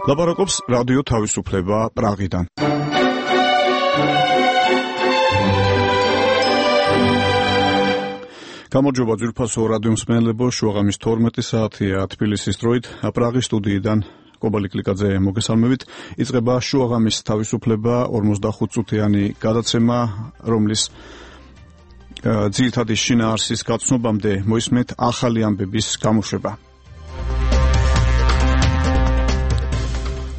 ლაპარაკობს რადიო თავისუფლება პრაღიდან. გამარჯობა ძვირფასო რადიო მსმენელებო, შუაღამის 12 საათია თბილისის დროით, პრაღის სტუდიიდან კობალი კლიკაძე მოგესალმებით. იწყება შუაღამის თავისუფლება 45 წუთიანი გადაცემა, რომლის ძირითადი შინაარსის გაცნობამდე მოისმენთ ახალი ამბების გამოშვება.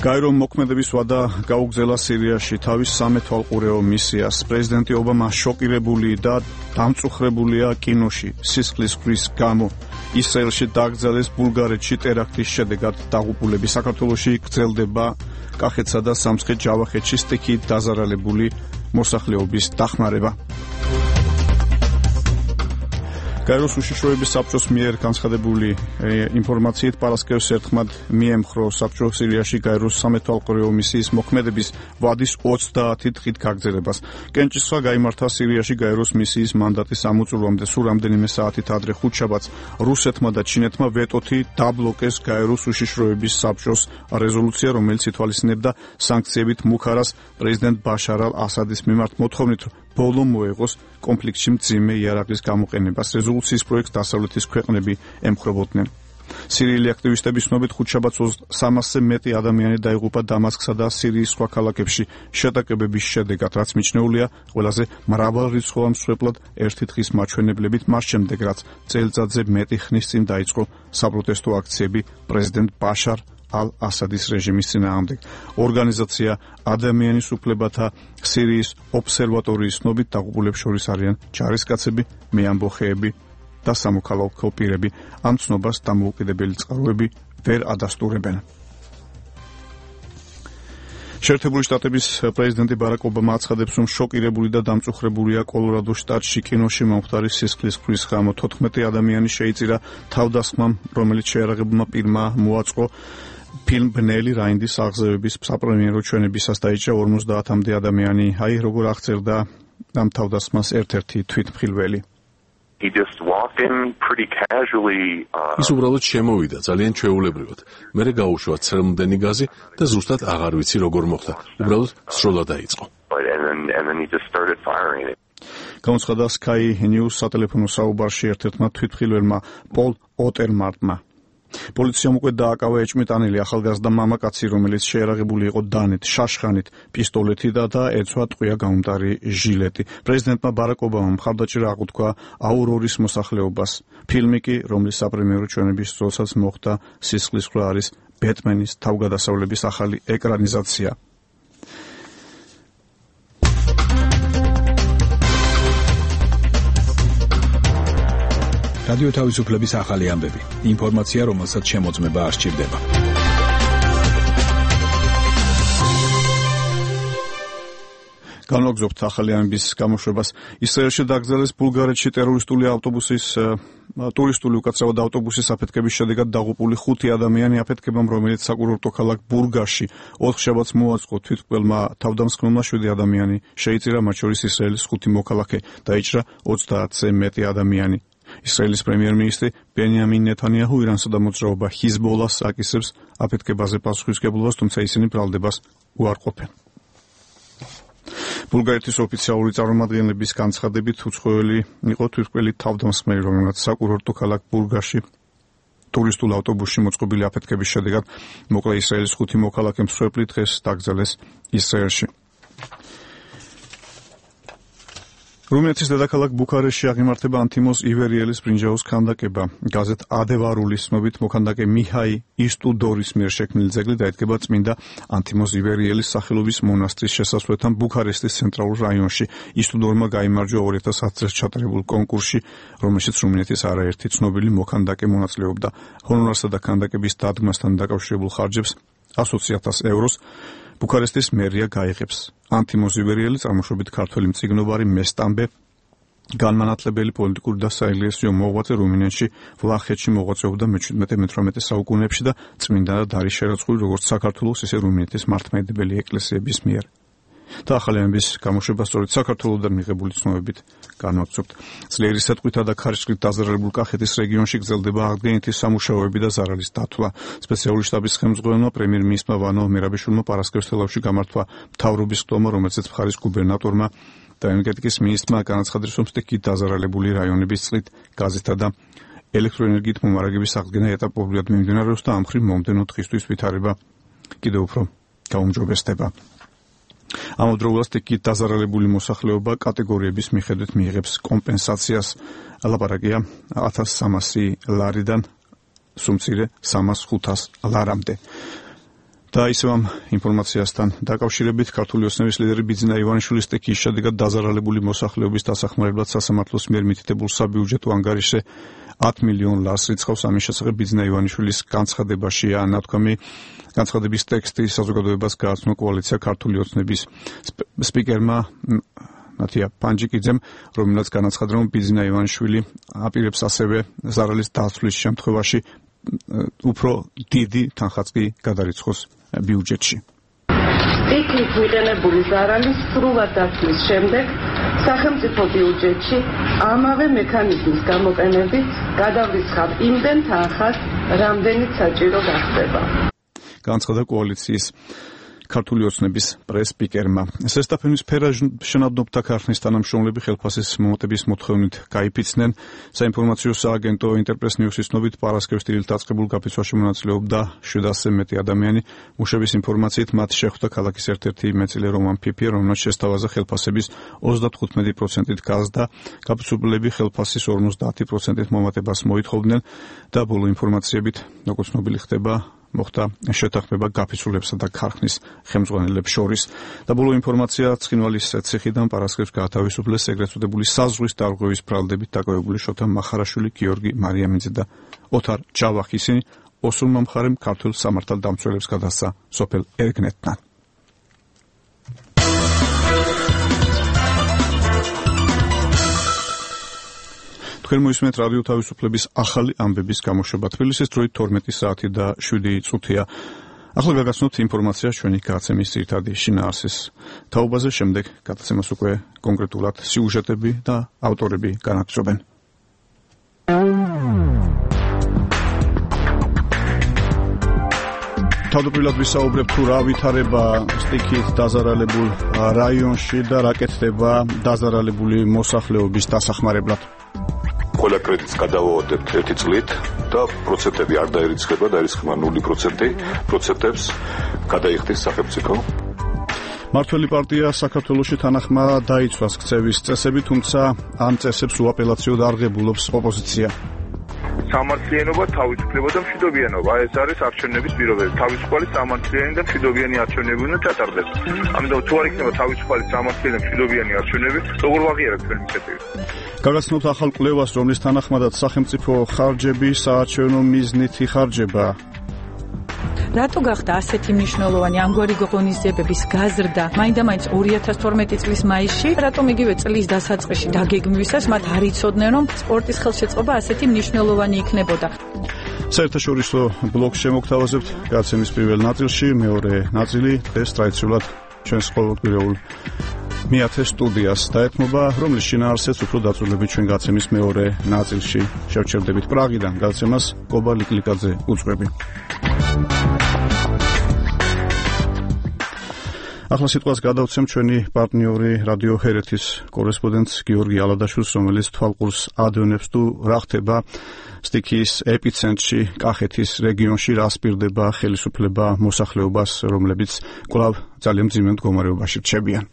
გაეროს მოქმედების ვადა გაუგზავნила სირიაში თავის სამეთვალყურეო მისიას. პრეზიდენტი ობამა შოკირებული და დამწუხრებულია კინოში სისხლის ქვის გამო. ისრაელში დაკრძალეს ბულგარეთში ტერაქტის შედეგად დაღუპულები. საქართველოში გრძელდება კახეთსა და სამცხე-ჯავახეთში სტიქიით დაზარალებული მოსახლეობის დახმარება. გაეროს უშიშროების საბჭოს მიერ განცხადებული ინფორმაციით პარასკევს ერთხმად მიემხრო საბჭო სირიაში გაეროს სამეთვალყურეო მისიის მოქმედების ვადის 30 დღით გაგრძელებას. კენჭისყრა გაიმართა სირიაში გაეროს მისიის მანდატის ამოწურვამდე. სულ რამდენიმე საათით ადრე ხუთშაბათს რუსეთმა და ჩინეთმა ვეტოთი დაბლოკეს გაეროს უშიშროების საბჭოს რეზოლუცია, რომელიც ითვალისწინებდა სანქციებით მუქარას პრეზიდენტ ბაშარ ალ-ასადის მიმართ მოთხოვნით, ბოლო მოეღოს კონფლიქტში მძიმე იარაღის გამოყენებას. რეზოლუციის პროექტს დასავლეთის ქვეყნები ემხრობოდნენ. სირიელი აქტივისტების ცნობით ხუთშაბათს 300-ზე მეტი ადამიანი დაიღუპა დამასკსა და სირიის სხვა ქალაქებში შეტაკებების შედეგად, რაც მიჩნეულია ყველაზე მრავალრიცხოვან მსხვერპლად ერთი დღის მაჩვენებლებით, მას შემდეგ რაც წელიწადზე მეტი ხნის წინ დაიწყო საპროტესტო აქციები პრეზიდენტ ბაშარ ალ-ასადის რეჟიმის წინააღმდეგ. ორგანიზაცია ადამიანის უფლებათა სირიის ობსერვატორიის ცნობით დაღუპულებს შორის არიან ჯარისკაცები, მეამბოხეები და სამოქალაქო პირები. ამ ცნობას დამოუკიდებელი წყაროები ვერ ადასტურებენ. შეერთებული შტატების პრეზიდენტი ბარაკ ობამა აცხადებს, რომ შოკირებული და დამწუხრებულია კოლორადოს შტატში კინოში მომხდარი სისხლის ქვის გამო. 14 ადამიანი შეიწირა თავდასხმამ, რომელიც შეიარაღებულმა პირმა მოაწყო. ფილმ ბნელი რაინდის აღზევების საპრემიერო ჩვენებისას დაიჭრა 50-მდე ადამიანი. აი როგორ აღწერდა ამ თავდასხმას ერთ-ერთი თვითმხილველი. ის უბრალოდ შემოვიდა ძალიან ჩვეულებრივად. მერე გაუშვა ცრემლმდენი გაზი და ზუსტად აღარ ვიცი როგორ მოხდა. უბრალოდ სროლა დაიწყო. გამოცხადა Sky News სატელეფონო საუბარში ერთ-ერთმა თვითმხილველმა პოლ ოტერმარტმა. პოლიციამ უკვე დააკავა ეჭმიტანილი ახალგაზრდა მამაკაცი, რომელიც შეიარაღებული იყო დანით, შაშხანით, პისტოლეთით და ეცვა ტყვია გამომტარი ჟილეტი. პრეზიდენტმა ბარაკ ობამამ მხარდაჭერა აღუთქვა აურორის მოსახლეობას. ფილმი კი, რომლის საპრემიერო ჩვენების დროსაც მოხდა სისხლის ქვა, არის ბეტმენის თავგადასავლების ახალი ეკრანიზაცია. რადიო თავისუფლების ახალი ამბები. ინფორმაცია, რომელსაც შემოწმება არ სჭირდება. განვაგრძობთ ახალი ამბების გამოშვებას. ისრაელში დაკრძალეს ბულგარეთში ტურისტული უკაცრავად ავტობუსის აფეთქების შედეგად დაღუპული 5 ადამიანი. აფეთქებამ, რომელიც საკურორტო ქალაქ ბურგასში 4 შაბათს მოაწყო, თვითმკვლელმა თავდამსხმელმა 7 ადამიანი შეიწირა, მათ შორის ისრაელის 5 მოქალაქე. დაიჭრა 30-ზე მეტი ადამიანი. ისრაელის პრემიერ-მინისტრი ბენიამინ ნეთანიაჰუ ირანსა და მოძრაობა ჰიზბოლას აკისრებს აფეთქებაზე პასუხისმგებლობას, თუმცა ისინი ბრალდებას უარყოფენ. ბულგარეთის ოფიციალური წარმომადგენლების განცხადებით უცხოელი იყო თვითმკვლელი თავდამსხმელი, რომელმაც საკურორტო ქალაქ ბურგასში ტურისტულ ავტობუსში მოწყობილი აფეთქების შედეგად მოკლა ისრაელის 5 მოქალაქე. მსხვერპლი დღეს დაკრძალეს ისრაელში. რუმინეთის დედაქალაქ ბუქარესტში აღიმართება ანთიმოზ ივერიელის ბრინჯაოს ქანდაკება. გაზეთ ადევარულის ცნობით მოქანდაკე მიჰაი ისტუდორის მიერ შექმნილი ძეგლი დაედგება წმინდა ანთიმოზ ივერიელის სახელობის მონასტრის შესასვლელთან ბუქარესტის ცენტრალურ რაიონში. ისტუდორმა გაიმარჯვა 2010 წელს ჩატარებულ კონკურსში, რომელშიც რუმინეთის არაერთი ცნობილი მოქანდაკე მონაწილეობდა. ჰონორარსა და ქანდაკების დადგმასთან დაკავშირებულ ხარჯებს 120,000 ევროს ბუქარესტის მერია გაიღებს. ანთიმოზ ივერიელი წარმოშობით ქართველი მწიგნობარი მესტამბე, განმანათლებელი პოლიტიკური და საეკლესიო მოღვაწე, რუმინეთში, ვლახეთში მოღვაწეობდა მე-17-18 საუკუნეებში და წმინდანად არის შერაცხული როგორც საქართველოს, ისე რუმინეთის მართლმადიდებელი ეკლესიების მიერ. და ახალიანების გამოშვება სწორედ საქართველოსთან მიღებული ცნობებით განვაგრძობთ. ძლიერი სეტყვითა და ქარიშხლით დაზარალებულ კახეთის რეგიონში გრძელდება აღდგენითი სამუშაოები და ზარალის დათვლა. სპეციალური შტაბის ხელმძღვანელმა პრემიერ-მინისტრმა ვანო მირაბიშვილმა პარასკევს თელავში გამართვა მთავრობის ხდომა, რომელზეც მხარის გუბერნატორმა და ენერგეტიკის მინისტრმა განაცხადეს, რომ სტიქით დაზარალებული რაიონების წყლით, გაზეთა და ელექტროენერგიით მომარაგების აღდგენა ეტაპობრივად მიმდინარეობს და ამ მხრივ მომდევნო დღისთვის ვითარება კიდევ უფრო გაუმჯობესდება. ამავდროულად სტიქით დაზარალებული მოსახლეობა კატეგორიების მიხედვით მიიღებს კომპენსაციას. ლაპარაკია 1300 ლარიდან სუმცირე 300-500 ლარამდე. და ისევ ამ ინფორმაციასთან დაკავშირებით ქართული ოცნების ლიდერი ბიძინა ივანიშვილის სტიქის შედეგად დაზარალებული მოსახლეობის დასახმარებლად სასამართლოს მიერ მითითებულ საბიუჯეტო ანგარიშზე 10 მილიონ ლარს რიცხავს. ამის შესახებ ბიძინა ივანიშვილის განცხადებაშია ნათქვამი. განცხადების ტექსტი საზოგადოებას გააცნო კოალიცია ქართული ოცნების სპიკერმა ნათია პანჯიკიძემ, რომელსაც განაცხადა, რომ ბიძინა ივანიშვილი აპირებს ასევე ზარალის დაცვის შემთხვევაში უფრო დიდი თანხაც კი გადარიცხოს ბიუჯეტში. სტიქით მიყენებული ზარალის სრულად დაცვის შემდეგ სახელმწიფო ბიუჯეტში ამავე მექანიზმის გამოყენებით გადავრიცხავ იმდენ თანხას, რამდენიც საჭირო გახდება. განაცხადა კოალიციის ქართული ოცნების პრეს-სპიკერმა. ზესტაფენის სფერა შენადნობთა ქარხნის თანამშრომლები ხელფასის მომატების მოთხოვნით გაიფიცნენ. საინფორმაციო სააგენტო ინტერპრეს ნიუსის ცნობით პარასკევს დილით დაწყებულ გაფიცვაში მონაწილეობდა 700-ზე მეტი ადამიანი. მუშების ინფორმაციით მათ შეხვდა ქალაქის ერთ-ერთი მეწილე რომან ფიფია, რომელსაც შესთავაზა ხელფასების 35%-ით გაზრდა. გაფიცვლები ხელფასის 50%-ით მომატებას მოითხოვდნენ და ბოლო ინფორმაციებით, როგორც ცნობილი ხდება, მოხდა შეთანხმება გაფიცვლებსა და ქარხნის ხელმძღვანელებს შორის. და ბოლო ინფორმაცია ცხინვალის ციხიდან პარასკევს გაათავისუფლეს ეგრეთ წოდებული საზღვის დარღვევის ბრალდებით დაკავებული შოთა მახარაშვილი, გიორგი მარიამინძე და ოთარ ჯავახი. ისინი ოსურმა მხარემ ქართულ სამართალდამცველებს გადასცა სოფელ ერგნეთთან. თქვენ მოისმენთ რადიო თავისუფლების ახალი ამბების გამოშვება. თბილისის დროით 12 საათი და 7 წუთია. ახლა გაგაცნობთ ინფორმაციას ჩვენი გადაცემის ძირითადი შინაარსის თაობაზე, შემდეგ გადაცემას უკვე კონკრეტულად სიუჟეტები და ავტორები განაგრძობენ. თავდაპირველად ვისაუბრებ თუ რა ვითარება სტიქით დაზარალებულ რაიონში და რა კეთდება დაზარალებული მოსახლეობის დასახმარებლად. ყველა კრედიტს გადავავადებთ 1 წლით და პროცენტები არ დაირიცხება, დაირიცხება 0%, პროცენტებს გადაიხდის სახელმწიფო. მართველი პარტია საქართველოში თანახმა დაიცვას ქცევის წესები, თუმცა ამ წესებს უაპელაციოდ არღებულობს ოპოზიცია. სამართლიანობა, თავისუფლება და მშვიდობიანობა. ეს არის არჩევნების პირობები. თავისუფალი, სამართლიანი და მშვიდობიანი არჩევნები უნდა ჩატარდეს. ამიტომ თუ არ იქნება თავისუფალი, სამართლიანი და მშვიდობიანი არჩევნები, როგორ ვაღიარებთ თქვენი ინიციატივა? გაგაცნობთ ახალ კვლევას, რომლის თანახმადაც სახელმწიფო ხარჯები საარჩევნო მიზნით იხარჯება. რატო გახდა ასეთი მნიშვნელოვანი ამგვარი ღონისძიებების გაზრდა მაინდა-მაინც 2012 წლის მაისში? რატომ იგივე წლის დასაწყისში დაგეგმვისას მათ არ იცოდნენ, რომ სპორტის ხელშეწყობა ასეთი მნიშვნელოვანი იქნებოდა? საერთაშორისო ბლოგს შემოგთავაზებთ გადაცემის პირველ ნაწილში, მეორე ნაწილი დღეს ტრადიციულად ჩვენს ყოველკვირეულ მეათე სტუდიას დაეთმობა, რომლის შინაარსიც უფრო დაწვრილებით ჩვენ გადაცემის მეორე ნაწილში შევჩერდებით. პრაღიდან გადაცემას კობა ლიკლიკაძე უძღვები. ახლა სიტყვას გადავცემ ჩვენი პარტნიორი რადიო ჰერეთის კორესპონდენტს გიორგი ალადაშვილს, რომელიც თვალყურს ადევნებს თუ რა ხდება სტიქიის ეპიცენტრში, კახეთის რეგიონში, რა სპირდება ხელისუფლება მოსახლეობას, რომლებიც კვლავ ძალიან მძიმე მდგომარეობაში რჩებიან.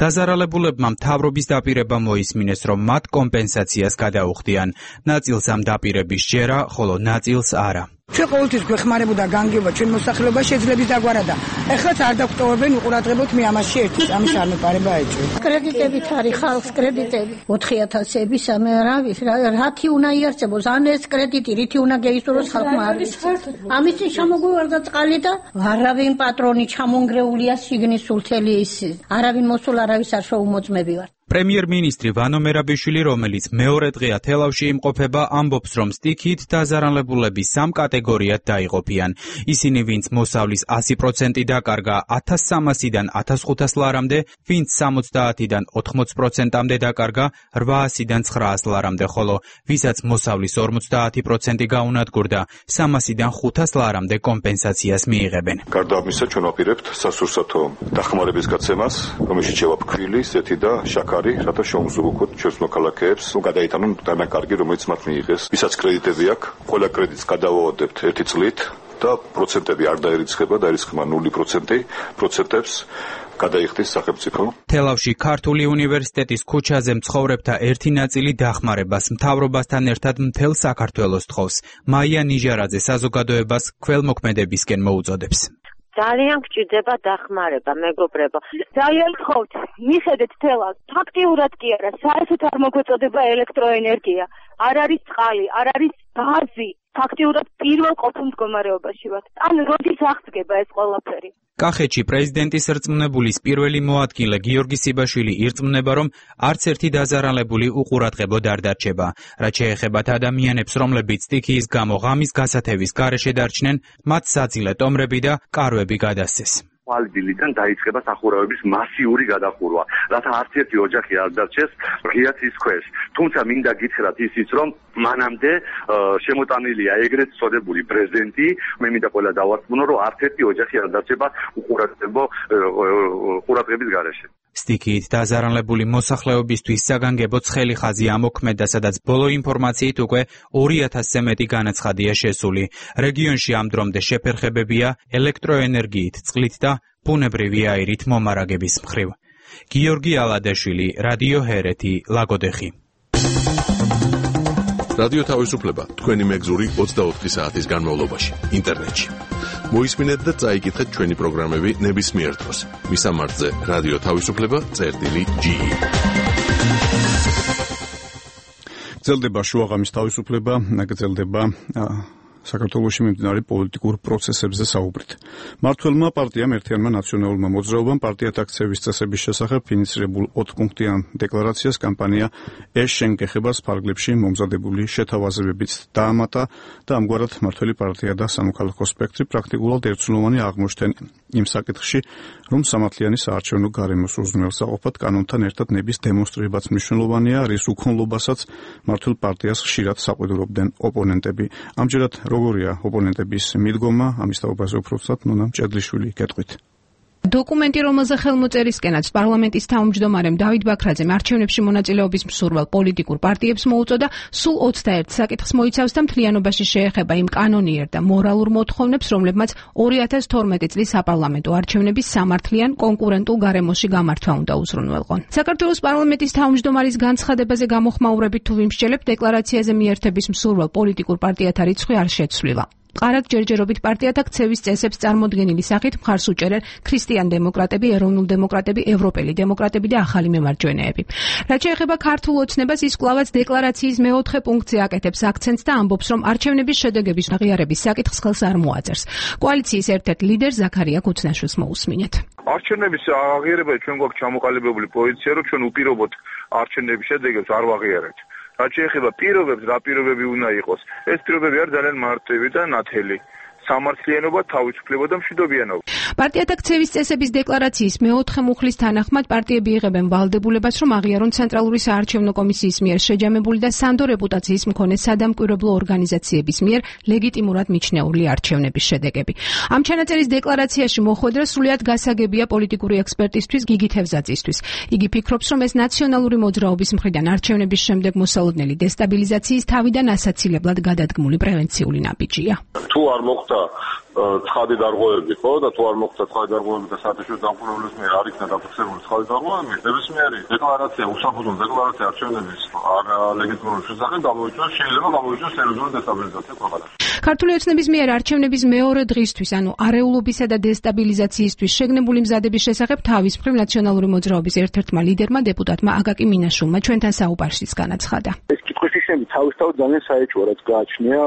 დაზარალებულებმა მთავრობის დაპირება მოისმინეს, რომ მათ კომპენსაციას გადაუხდიან. ნაწილს ამ დაპირების ჯერა, ხოლო ნაწილს არა. ჩვენ ყოველთვის გვეხმარებოდა განგება ჩვენ მოსახლეობა შეძლების დაგვარადა. ეხლაც არ დაგტოვებენ უყურადღებოთ მე ამაში ერთი წამის არ მეპარება ეჭვი. კრედიტებით არის ხალხს კრედიტები 4000-ები სამე რათი უნდა იარსებოს ან ეს კრედიტი რითი უნდა გეისურვოს ხალხმა არის. ამის წინ ჩამოგვივარდა წყალი და არავინ პატრონი ჩამონგრეულია შიგნის სულთელი ის. არავინ მოსულ არავის არ შეუმოწმები ვარ. პრემიერ-მინისტრი ვანო მერაბიშვილი, რომელიც მეორე დღეა თელავში იმყოფება, ამბობს, რომ სტიქით დაზარალებულები 3 კატეგორიად დაიყოფიან. ისინი, ვინც მოსავლის 100% დაკარგა 1300-დან 1500 ლარამდე, ვინც 70-დან 80%-მდე დაკარგა 800-დან 900 ლარამდე, ხოლო ვისაც მოსავლის 50% გაუნადგურდა 300-დან 500 ლარამდე კომპენსაციას მიიღებენ. გარდა ამისა, ჩვენ ვაპირებთ სასურსათო დახმარების გაცემას, რომელშიც შევაფქვილი ზეთი და შაქარი, რათა შევუმსუბუქოთ ჩვენს მოქალაქეებს, გადაიტანონ დანაკარგი, რომელიც მათ მიიღეს. ვისაც კრედიტები აქვს, ყველა კრედიტს გადავაოდებთ 1 წლით და პროცენტები არ დაირიცხება, დაირიცხება 0%, პროცენტებს გადაიხდის სახელმწიფო. თელავში ქართული უნივერსიტეტის ქუჩაზე მცხოვრებთა ერთი ნაწილი დახმარებას მთავრობასთან ერთად მთელ საქართველოს თხოვს. მაია ნიჟარაძე საზოგადოებას ქველმოქმედებისკენ მოუწოდებს. ძალიან გჭირდება დახმარება, მეგობრებო. ძალიან გთხოვთ, მიხედეთ თელავს. ფაქტიურად კი არა, საერთოდ არ მოგვეწოდება ელექტროენერგია. არ არის წყალი, არ არის გაზი. ფაქტიურად პირველ ყოფილ მდგომარეობაში ვართ. ან როდის აღწგება ეს ყველაფერი? კახეთში პრეზიდენტის რწმუნებულის პირველი მოადგილე გიორგი სიბაშვილი ირწმუნება, რომ არც ერთი დაზარალებული უყურადღებოდ არ დარჩება. რაც შეეხებათ ადამიანებს, რომლებიც სტიქიის გამო ღამის გასათევის გარეშე დარჩნენ, მათ საძილე ტომრები და კარვები გადასცეს. ალბილიდან დაიწყება სახურავების მასიური გადახურვა, რათა არც ერთი ოჯახი არ დარჩეს ღია ცის ქვეშ. თუმცა მინდა გითხრათ ისიც, რომ მანამდე შემოტანილია ეგრეთ წოდებული პრეზიდენტი, მე მინდა ყველა დავარწმუნო, რომ არც ერთი ოჯახი არ დარჩება უყურადღების გარეშე. სტიქიით დაზარალებული მოსახლეობისთვის საგანგებო ცხელი ხაზი ამოქმედა, სადაც ბოლო ინფორმაციით უკვე 2000-ზე მეტი განაცხადია შესული. რეგიონში ამ დრომდე შეფერხებებია ელექტროენერგიით, წყლით და ბუნებრივი აირით მომარაგების მხრივ. გიორგი ალადეშვილი, რადიო ჰერეთი, ლაგოდეხი. რადიო თავისუფლება თქვენი მეგზური 24 საათის განმავლობაში ინტერნეტში. მოისმინეთ და წაიკითხეთ ჩვენი პროგრამები ნებისმიერ დროს. მისამართზე რადიო თავისუფლება.ge. გრძელდება შუაღამის თავისუფლება, გრძელდება საქართველოში მიმდინარე პოლიტიკურ პროცესებზე საუბრით. მმართველმა პარტიამ ერთიანმა ნაციონალურმა მოძრაობამ პარტიად აქცევის წესების შესახებ ინიცირებულ 4 პუნქტიან დეკლარაციას კამპანია ეს შენგეხებას ფარგლებში მომზადებული შეთავაზებებით დაამატა და ამგვარად მმართველი პარტია და სამოქალაქო სპექტრი პრაქტიკულად ერთსულოვანი აღმოჩნდნენ იმ საკითხში, რომ სამართლიანი საარჩევნო გარემოს უზრუნველსაყოფად კანონთან ერთად ნების დემონსტრირებაც მნიშვნელოვანია, რის უქონლობასაც მმართველ პარტიას ხშირად საყვედურობდნენ ოპონენტები. ამჯერად როგორია ოპონენტების მიდგომა, ამის თაობაზე უფრო ვსად ნონა მჭედლიშვილი გეტყვით. დოკუმენტი, რომელზე ხელმოწერისკენაც პარლამენტის თავმჯდომარემ დავით ბაქრაძემ არჩევნებში მონაწილეობის მსურველ პოლიტიკურ პარტიებს მოუწოდა, სულ 21 საკითხს მოიცავს და მთლიანობაში შეეხება იმ კანონიერ და მორალურ მოთხოვნებს, რომლებმაც 2012 წლის საპარლამენტო არჩევნების სამართლიან კონკურენტულ გარემოში გამართვა უნდა უზრუნველყონ. საქართველოს პარლამენტის თავმჯდომარის განცხადებაზე გამოხმაურებით თუ ვიმსჯელებთ, დეკლარაციაზე მიერთების მსურველ პოლიტიკურ პარტიათა რიცხვი არ შეცვლილა. ყარად ჯერჯერობით პარტიათა ქცევის წესებს წარმოდგენილი სახით მხარს უჭერენ ქრისტიან დემოკრატები, ეროვნულ დემოკრატები, ევროპელი დემოკრატები და ახალი მემარჯვენეები. რაც შეეხება ქართულ ოცნებას, ის კვლავაც დეკლარაციის მე-4 პუნქტზე აკეთებს აქცენტს და ამბობს, რომ არჩევნების შედეგების აღიარების საკითხს ხელს არ მოაწერს. კოალიციის ერთ-ერთ ლიდერს ზაქარია ქუცნაშვილს მოусმინეთ. არჩევნების აღიარება ჩვენ გვაქვს ჩამოყალიბებული პოზიცია, რომ ჩვენ უპირობოდ არჩევნების შედეგებს არ ვაღიარებთ. რაც შეეხება პირობებს, რა პირობები უნდა იყოს, ეს პირობები არის ძალიან მარტივი და ნათელი. სამართლიანობა, თავისუფლება და მშვიდობიანობა. პარტიათა ქცევის წესების დეკლარაციის მე-4 მუხლის თანახმად პარტიები იღებენ ვალდებულებას, რომ აღიარონ ცენტრალური საარჩევნო კომისიის მიერ შეჯამებული და სანდო რეპუტაციის მქონე სადამკვირვებლო ორგანიზაციების მიერ ლეგიტიმურად მიჩნეული არჩევნების შედეგები. ამ ჩანაწერის დეკლარაციაში მოხვედრა სრულიად გასაგებია პოლიტიკური ექსპერტისთვის გიგი თევზაძისთვის. იგი ფიქრობს, რომ ეს ნაციონალური მოძრაობის მხრიდან არჩევნების შემდეგ მოსალოდნელი დესტაბილიზაციის თავიდან ასაცილებლად გადადგმული პრევენციული ნაბიჯია. თუ არ მოხდა ცხადი დარღვევები, ხო, და თუ არ მოხდა ცხადი დარღვევები და საერთაშორისო დამკვირვებლების მიერ არ იქნა დაფიქსირებული ცხადი დარღვევები, ნებისმიერი დეკლარაცია, უსაფუძვლო დეკლარაცია არჩევნების ლეგიტიმურობის შესახებ შეიძლება გამოიწვიოს სერიოზული დესტაბილიზაცია ქვეყანაში. ქართული ოცნების მიერ არჩევნების მეორე დღისთვის, ანუ არეულობისა და დესტაბილიზაციისთვის შეგნებული მზადების შესახებ თავის მხრივ ნაციონალური მოძრაობის ერთ-ერთმა ლიდერმა დეპუტატმა აკაკი მინაშვილმა ჩვენთან საუბარშიც განაცხადა. ეს კითხვის ისინი თავისთავად ძალიან საეჭვო, რაც გააჩნია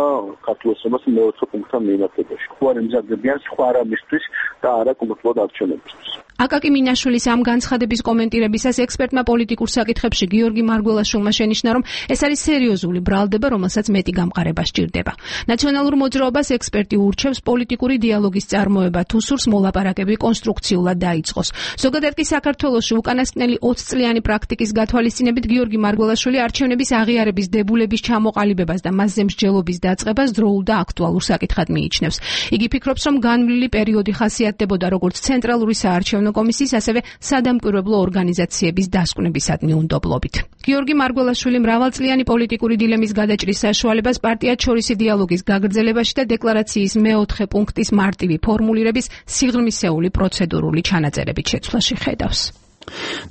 ქართულ ოცნებას მე-4 პუნქტთან მიმართებაში. ხო არ ემზადებიან სხვა რამისთვის და არა კონკრეტულად არჩევნებისთვის. აკაკი მინაშვილის ამ განცხადების კომენტირებისას ექსპერტმა პოლიტიკურ საკითხებში გიორგი მარგველაშვილმა შენიშნა, რომ ეს არის სერიოზული ბრალდება, რომელსაც მეტი გამყარება სჭირდება. ნაციონალურ მოძრაობას ექსპერტი ურჩევს პოლიტიკური დიალოგის წარმოება, თუ სურს მოლაპარაკები კონსტრუქციულად დაიწყოს. ზოგადად კი საქართველოში უკანასკნელი 20 წლიანი პრაქტიკის გათვალისწინებით გიორგი მარგველაშვილი არჩევნების აღიარების დებულების ჩამოყალიბებას და მასზე მსჯელობის დაწყებას დროულ და აქტუალურ საკითხად მიიჩნევს. იგი ფიქრობს, რომ განვლილი პერიოდი ხასიათდებოდა როგორც ცენტრალური საარჩევნო კომისიის, ასევე სადამკვირვებლო ორგანიზაციების დასკვნებისადმი უნდობლობით. გიორგი მარგველაშვილი მრავალწლიანი პოლიტიკური დილემის გადაჭრის საშუალებას პარტიად შორისი დიალოგის გაგრძელებაში და დეკლარაციის მეოთხე პუნქტის მარტივი ფორმულირების სიღრმისეული პროცედურული ჩანაწერებით შეცვლაში ხედავს.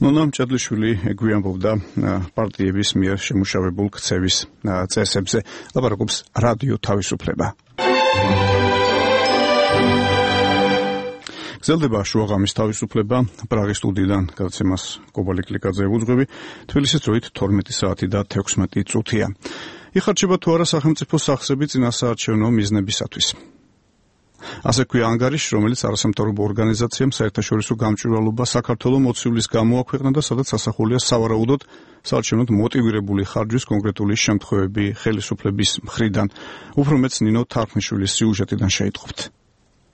ნონა მჭედლიშვილი გვიანბობდა პარტიების მიერ შემუშავებულ ქცევის წესებზე. ლაპარაკობს რადიო თავისუფლება. გრძელდება შუაღამის თავისუფლება. პრაღის სტუდიიდან გადაცემას კობალი კლიკაძე უძღვები. თბილისის დროით 12 საათი და 16 წუთია. იხარჯება თუ არა სახელმწიფო სახსრები წინასაარჩევნო მიზნებისათვის. ასე ქვია ანგარიში, რომელიც არასამთავრობო ორგანიზაციამ საერთაშორისო გამჭვირვალობა საქართველოს მოცივლის გამო აქვეყნა და სადაც ასახულია სავარაუდოდ საარჩევნოდ მოტივირებული ხარჯვის კონკრეტული შემთხვევები ხელისუფლების მხრიდან. უფრო მეც ნინო თარხნიშვილის სიუჟეტიდან შეიტყობთ.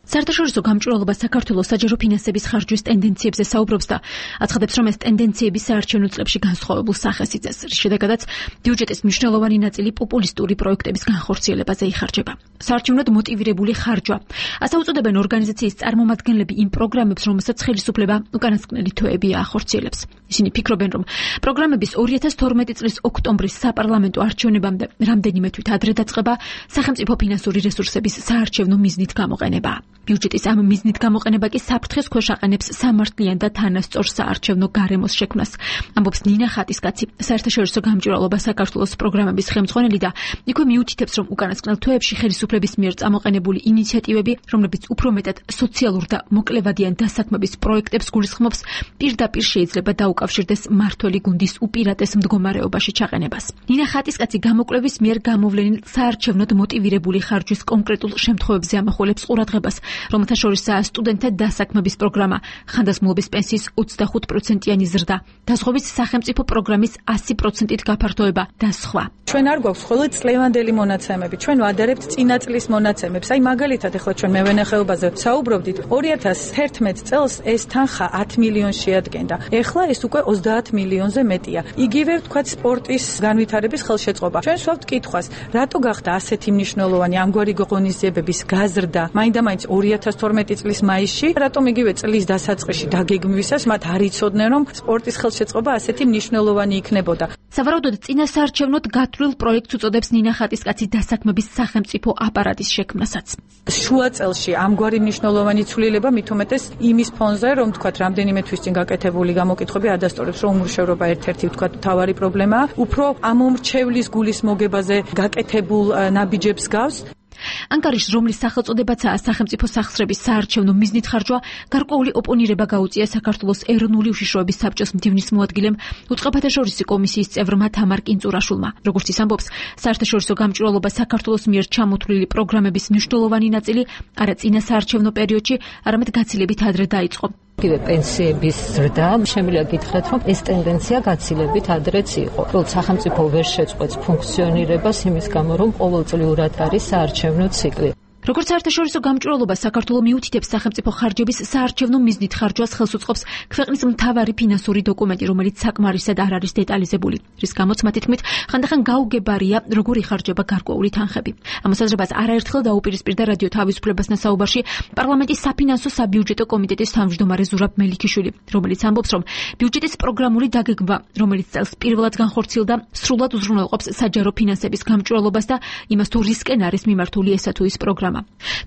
საერთაშორისო გამჭვირვალობა საქართველოს საჯარო ფინანსების ხარჯვის ტენდენციებზე საუბრობს და აცხადებს, რომ ეს ტენდენციები საარჩევნო წლებში განსხვავებულ სახეს იწევს, რის შედეგადაც ბიუჯეტის მნიშვნელოვანი ნაწილი პოპულისტური პროექტების განხორციელებაზე იხარჯება. საარჩევნოდ მოტივირებული ხარჯვა. ასე უწოდებენ ორგანიზაციის წარმომადგენლები იმ პროგრამებს, რომელსაც ხელისუფლება უკანასკნელი თვეები ახორციელებს. ისინი ფიქრობენ, რომ პროგრამების 2012 წლის ოქტომბრის საპარლამენტო არჩევნებამდე რამდენიმე თვით ადრე დაწყება სახელმწიფო ფინანსური რესურსების საარჩევნო მიზნით გამოყენება. ბიუჯეტის ამ მიზნით გამოყენება კი საფრთხეს ქვეშ აყენებს სამართლიან და თანასწორ საარჩევნო გარემოს შექმნას. ამბობს ნინა ხატისკაცი, საერთაშორისო გამჭვირვალობა საქართველოს პროგრამების ხელმძღვანელი და იქვე მიუთითებს, რომ უკანასკნელ თვეებში ხელისუფლების მიერ წამოყენებული ინიციატივები, რომლებიც უფრო მეტად სოციალურ და მოკლევადიან დასაქმების პროექტებს გულისხმობს, პირდაპირ შეიძლება დაუკავშირდეს მმართველი გუნდის უპირატეს მდგომარეობაში ჩაყენებას. ნინა ხატისკაცი გამოკვლევის მიერ გამოვლენილ საარჩევნოდ მოტივირებული ხარჯვის კონკრეტულ შემთხვევებზე ამახვილებს ყურადღებას, რომელთა შორისაა სტუდენტთა დასაქმების პროგრამა, ხანდაზმულობის პენსიის 25%-იანი ზრდა, დაზღვევის სახელმწიფო პროგრამის 100%-ით გაფართოება და სხვა. ჩვენ არ გვაქვს მხოლოდ წლევანდელი მონაცემები, ჩვენ ვადარებთ წინა წლის მონაცემებს. აი მაგალითად ახლა ჩვენ მევენახეობაზე საუბრობდით, 2011 წელს ეს თანხა 10 მილიონს შეადგენდა. ეხლა ეს უკვე 30 მილიონზე მეტია. იგივე ვთქვათ სპორტის განვითარების ხელშეწყობა. ჩვენ ვსვავთ კითხვას, რატო გახდა ასეთი მნიშვნელოვანი ამგვარი ღონისძიებების გაზრდა მაინდა-მაინც 2012 წლის მაისში, რატომ იგივე წლის დასაწყისში დაგეგმვისას მათ არ იცოდნენ, რომ სპორტის ხელშეწყობა ასეთი მნიშვნელოვანი იქნებოდა. სავარაუდოდ წინასაარჩევნოდ გათვლილ პროექტს უწოდებს ნინა ხატისკაცი დასაქმების სახელმწიფო აპარატის შექმნასაც. შუა წელში ამგვარი მნიშვნელოვანი ცვლილება მით უმეტეს იმის ფონზე, რომ თქვათ რამდენიმე თვის წინ გაკეთებული გამოკითხვები ადასტურებს, რომ უმრჩევრობა ერთ-ერთი თქვათ მთავარი პრობლემაა, უფრო ამომრჩევლის გულის მოგებაზე გაკეთებულ ნაბიჯებს გავს. ანგარიშს, რომლის სახელწოდებაცაა სახელმწიფო სახსრების საარჩევნო მიზნით ხარჯვა, გარკვეული ოპონირება გაუწია საქართველოს ეროვნული უშიშროების საბჭოს მდივნის მოადგილემ, უწყებათა შორისი კომისიის წევრმა თამარ კინწურაშვილმა. როგორც ის ამბობს, საერთაშორისო გამჭვირვალობა საქართველოს მიერ ჩამოთვლილი პროგრამების მნიშვნელოვანი ნაწილი არა წინა საარჩევნო პერიოდში, არამედ გაცილებით ადრე დაიწყო. კიდევ პენსიების ზრდა, შემიძლია გითხრათ, რომ ეს ტენდენცია გაცილებით ადრეც იყო. უბრალოდ სახელმწიფო ვერ შეწყვეტს ფუნქციონირებას იმის გამო, რომ ყოველწლიურად არის საარჩევნო ციკლი. როგორც საერთაშორისო გამჭვირვალობა საქართველოს მიუთითებს სახელმწიფო ხარჯების საარჩევნო მიზნით ხარჯვას ხელს უწყობს ქვეყნის მთავარი ფინანსური დოკუმენტი, რომელიც საკმარისად არ არის დეტალიზებული, რის გამოც მათი თქმით ხანდახან გაუგებარია როგორ იხარჯება გარკვეული თანხები. ამ მოსაზრებას არაერთხელ დაუპირისპირდა რადიო თავისუფლებასთან საუბარში პარლამენტის საფინანსო საბიუჯეტო კომიტეტის თავმჯდომარე ზურაბ მელიქიშვილი, რომელიც ამბობს, რომ ბიუჯეტის პროგრამული დაგეგმვა, რომელიც წელს პირველად განხორციელდა, სრულად უზრუნველყოფს საჯარო ფინანსების გამჭვირვალობას და იმას, თუ რისკენ არის მიმართული ესა თუ ის პროგრამა.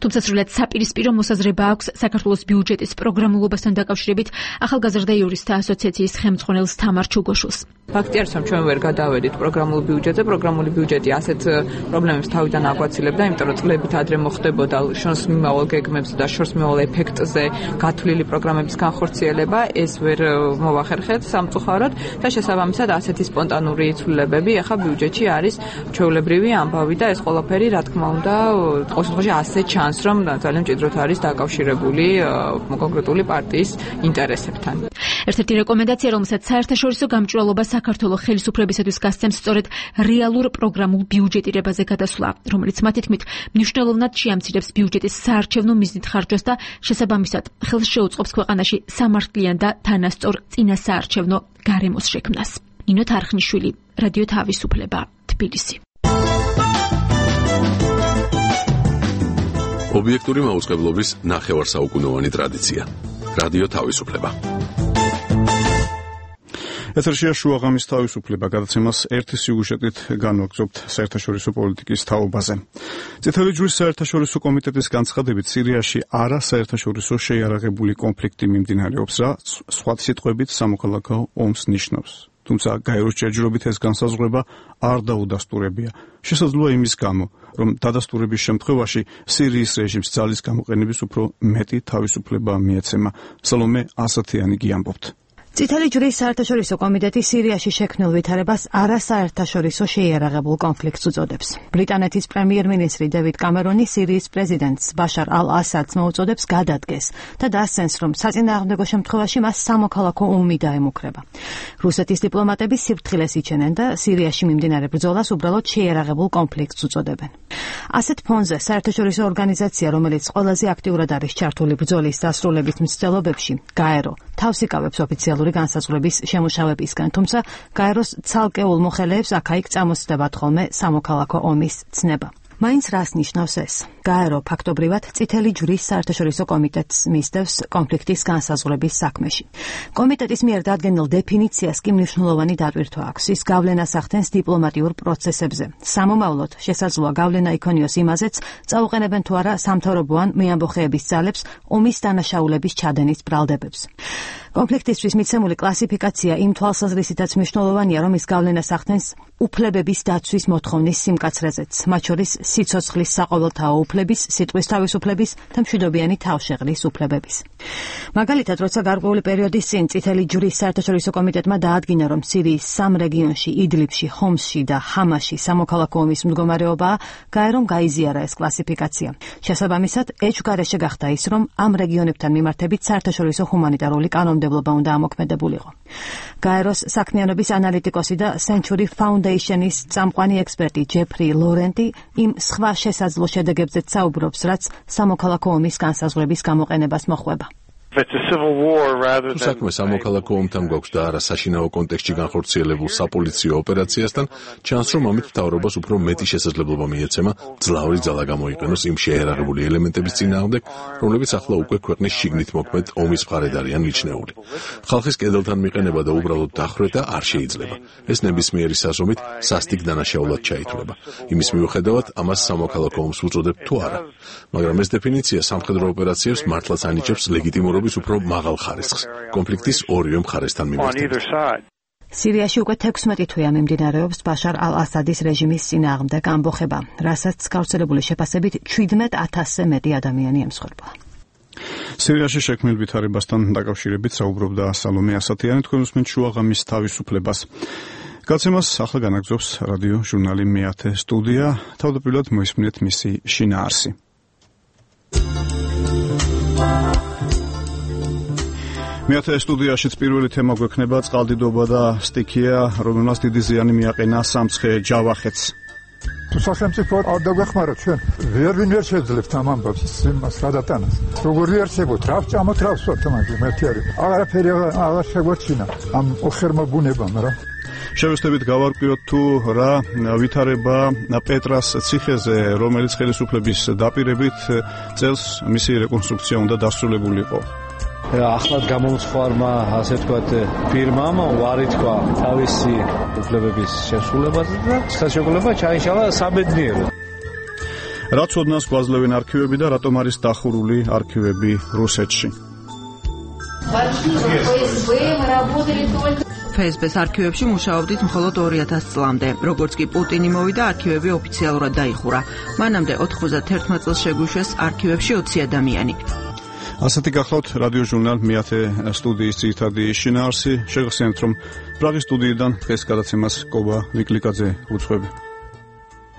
თუმცა სრულად საპირისპირო მოსაზრება აქვს საქართველოს ბიუჯეტის პროგრამულობასთან დაკავშირებით ახალგაზრდა იურისტთა ასოციაციის ხელმძღვანელს თამარ ჩუგოშვილს. ფაქტი არის, რომ ჩვენ ვერ გადავედით პროგრამულ ბიუჯეტზე. პროგრამული ბიუჯეტი ასეთ პრობლემებს თავიდან აგვაცილებდა, იმიტომ რომ წლებით ადრე მოხდებოდა შორს მიმავალ გეგმებზე და შორს მიმავალ ეფექტზე გათვლილი პროგრამების განხორციელება. ეს ვერ მოვახერხეთ სამწუხაროდ და შესაბამისად ასეთი სპონტანური ცვლილებები ახლა ბიუჯეტში არის ჩვეულებრივი ამბავი და ეს ყველაფერი, რა თქმა უნდა, ყოველ შემთხვევაში ასე ჩანს, რომ ძალიან მჭიდროდ არის დაკავშირებული კონკრეტული პარტიის ინტერესებთან. ერთ-ერთი რეკომენდაცია, რომელსაც საერთაშორისო გამჭვირვალობა საქართველოს ხელისუფლებისათვის გასცემს, სწორედ რეალურ პროგრამულ ბიუჯეტირებაზე გადასვლა, რომელიც მათი თქმით მნიშვნელოვნად შეამცირებს ბიუჯეტის საარჩევნო მიზნით ხარჯვას და შესაბამისად ხელს შეუწყობს ქვეყანაში სამართლიან და თანასწორ წინასაარჩევნო გარემოს შექმნას. ნინო თარხნიშვილი, რადიო თავისუფლება, თბილისი. ობიექტური მაუწყებლობის ნახევარსაუკუნოვანი ტრადიცია. რადიო თავისუფლება. ეთერშია შუა ღამის თავისუფლება, გადაცემას ერთი სიუჟეტით განვაგრძობთ საერთაშორისო პოლიტიკის თაობაზე. წითელი ჯვრის საერთაშორისო კომიტეტის განცხადებით, სირიაში არასაერთაშორისო შეიარაღებული კონფლიქტი მიმდინარეობს, რაც სხვა სიტყვებით სამოქალაქო ომს ნიშნავს. თუმცა გაეროს ჯერჯერობით ეს განსაზღვრება არ დაუდასტურებია. შესაძლოა იმის გამო, რომ დადასტურების შემთხვევაში სირიის რეჟიმს ძალის გამოყენების უფრო მეტი თავისუფლება მიეცემა. სალომე ასათიანი გიამბობთ. წითელი ჯვრის საერთაშორისო კომიტეტი სირიაში შექმნილ ვითარებას არასაერთაშორისო შეიარაღებულ კონფლიქტს უწოდებს. ბრიტანეთის პრემიერ-მინისტრი დევიდ კამერონი სირიის პრეზიდენტს ბაშარ ალ-ასადს მოუწოდებს გადადგეს და დასცენს, რომ საწინააღმდეგო შემთხვევაში მას სამოქალაქო ომი დაემუქრება. რუსეთის დიპლომატები სიფრთხილეს იჩენენ და სირიაში მიმდინარე ბრძოლას უბრალოდ შეიარაღებულ კონფლიქტს უწოდებენ. ასეთ ფონზე საერთაშორისო ორგანიზაცია, რომელიც ყველაზე აქტიურად არის ჩართული ბრძოლის დასრულების მცდელობებში, გაერო, თავს იკავებს ოფიციალურ განსაზღვრების შემუშავებისგან, თუმცა გაეროს ცალკეულ მოხელეებს აქა-იქ წამოსწდებათ ხოლმე სამოქალაქო ომის ცნება. მაინც რას ნიშნავს ეს? გაერო ფაქტობრივად წითელი ჯვრის საერთაშორისო კომიტეტს მისდევს კონფლიქტის განსაზღვრების საქმეში. კომიტეტის მიერ დადგენილ დეფინიციას კი მნიშვნელოვანი დატვირთვა აქვს. ის გავლენას ახდენს დიპლომატიურ პროცესებზე. სამომავლოდ შესაძლოა გავლენა იქონიოს იმაზეც, წაუყენებენ თუ არა სამთავრობო ან მეამბოხეების ძალებს ომის დანაშაულების ჩადენის ბრალდებებს. კონფლიქტისთვის მიცემული კლასიფიკაცია იმ თვალსაზრისითაც მნიშვნელოვანია, რომ ის გავლენას ახდენს უფლებების დაცვის მოთხოვნის სიმკაცრეზეც, მათ შორის სიცოცხლის საყოველთაო უფლების, სიტყვის თავისუფლების და მშვიდობიანი თავშეღრის უფლებების. მაგალითად, როცა გარკვეული პერიოდის წინ წითელი ჯვრის საერთაშორისო კომიტეტმა დაადგინა, რომ სირიის 3 რეგიონში, იდლიბში, ხომსში და ჰამაში სამოქალაქო ომის მდგომარეობაა, გაერომ გაიზიარა ეს კლასიფიკაცია. შესაბამისად, ეჭვგარეშე გახდა ის, რომ ამ რეგიონებთან მიმართებით საერთაშორისო ჰუმანიტარული კანონმდებლობა უნდა ამოქმედებულიყო. გაეროს საქმიანობის ანალიტიკოსი და Century Foundation-ის წამყვანი ექსპერტი ჯეფრი ლორენტი იმ სხვა შესაძლო შედეგებზეც საუბრობს, რაც სამოქალაქო ომის განსაზღვრების გამოყენებას მოჰყვება. თუ საქმე სამოქალაქო ომთან გვაქვს და არა საშინაო კონტექსტში განხორციელებულ საპოლიციო ოპერაციასთან, ჩანს, რომ ამით მთავრობას უფრო მეტი შესაძლებლობა მიეცემა ძლავრი ძალა გამოიყენოს იმ შეიარაღებული ელემენტების წინააღმდეგ, რომლებიც ახლა უკვე ქვეყნის შიგნით მოქმედ ომის მხარედ არიან მიჩნეული. ხალხის კედელთან მიყენება და უბრალოდ დახვრეტა არ შეიძლება. ეს ნებისმიერი საზომით სასტიკ დანაშაულად ჩაითვლება. იმის მიუხედავად, ამას სამოქალაქო ომს უწოდებთ თუ არა. მაგრამ ეს დეფინიცია სამხედრო ოპერაციებს მართლაც ანიჭებს ლეგიტიმურობის უფრო მაღალ ხარისხს, კონფლიქტის ორივე მხარესთან მიმართებით. სირიაში უკვე 16 თვეა მიმდინარეობს ბაშარ ალ-ასადის რეჟიმის წინააღმდეგ ამბოხება, რასაც გავრცელებული შეფასებით 17,000-ზე მეტი ადამიანი ემსხვერპლა. სირიაში შექმნილ ვითარებასთან დაკავშირებით საუბრობდა სალომე ასათიანი, თქვენ უსმენთ შუა ღამის თავისუფლებას. გაცემას ახლა განაგრძობს რადიო ჟურნალი მეათე სტუდია, თავდაპირველად მოისმინეთ მისი შინაარსი. მეათე სტუდიაშიც პირველი თემა გვექნება წყალდიდობა და სტიქია, რომელსაც დიდი ზიანი მიაყენა სამცხე ჯავახეთს. თუ სახელმწიფო არ დაგვეხმაროთ ჩვენ, ვინ ვერ შეძლებთ ამ ამბავს იმას გადატანას. როგორ იარსებოთ, რა ვჭამოთ, რა ვსვათ მაგის მეთი არის. აღარაფერი აღარ შეგვაჩინა ამ ოხერმა ბუნებამ რა. შევესწრებით გავარკვიოთ თუ რა ვითარება პეტრას ციხეზე, რომელიც ხელისუფლების დაპირებით წელს მისი რეკონსტრუქცია უნდა დასრულებულიყო. ახლად გამომცხარმა, ასე ვთქვათ, ფირმამ უარი თქვა თავისი უფლებების შესრულებაზე და ხელშეკრულება ჩაიშალა საბედნიეროდ. რა ცოდნას გვაძლევენ არქივები და რატომ არის დახურული არქივები რუსეთში? FSB-ს არქივებში მუშაობდით მხოლოდ 2000 წლამდე. როგორც კი პუტინი მოვიდა, არქივები ოფიციალურად დაიხურა. მანამდე 91 წელს შეგვიშვეს არქივებში 20 ადამიანი. ასეთი გახლავთ რადიო ჟურნალ მეათე სტუდიის ძირითადი შინაარსი. შეგახსენებთ, რომ პრაღის სტუდიიდან დღეს გადაცემას კობა ვიკლიკაძე უძღვები.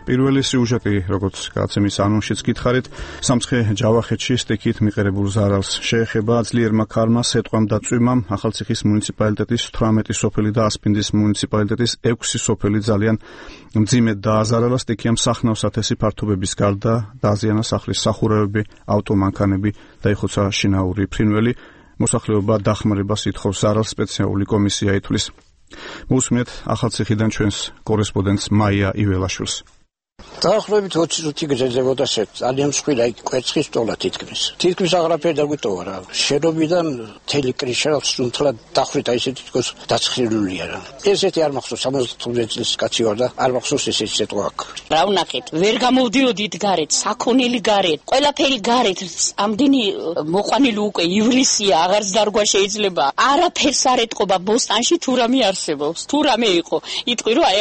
პირველი სიუჟეტი, როგორც გაცემის ანონსშიც გითხარით, სამცხე ჯავახეთში სტიქით მიყერებულ ზარალს შეეხება ძლიერმა ქარმა, სეტყვამ და წვიმამ ახალციხის მუნიციპალიტეტის 18 სოფელი და ასპინძის მუნიციპალიტეტის 6 სოფელი ძალიან მძიმედ დააზარალა. სტიქიამ სახნავს ათესი ფართობების გარდა დააზიანა სახლის სახურავები, ავტომანქანები, დაიხოცა შინაური ფრინველი. მოსახლეობა დახმარებას ითხოვს ზარალს, სპეციალური კომისია ითვლის. მოусმინეთ ახალციხიდან ჩვენს კორესპონდენტს მაია იველაშვილს. დაახლოებით 20 წუთი გრძელდებოდა ძალიან მსხვილი კვერცხის ტოლა თითქმის აღარაფერი დაგვიტოვა რა. შენობიდან მთელი კრიშა სუნთლად დახვრიტა, ისეთი თქოს დაცხრილულია რა. ესეთი არ მახსოვს 75 წლის კაცი ვარ და არ მახსოვს ესეთი სიტყვა აქვს. რა ვნახეთ, ვერ გამოვდიოდით გარეთ, საქონელი გარეთ, ყველაფერი გარეთ, ამდენი მოყვანილი უკვე ივლისია, აღარც დარგვა შეიძლება. არაფერს არ ეთყობა ბოსტანში თუ რამე არსებობს. თუ რამე იყო, იტყვი რომ აი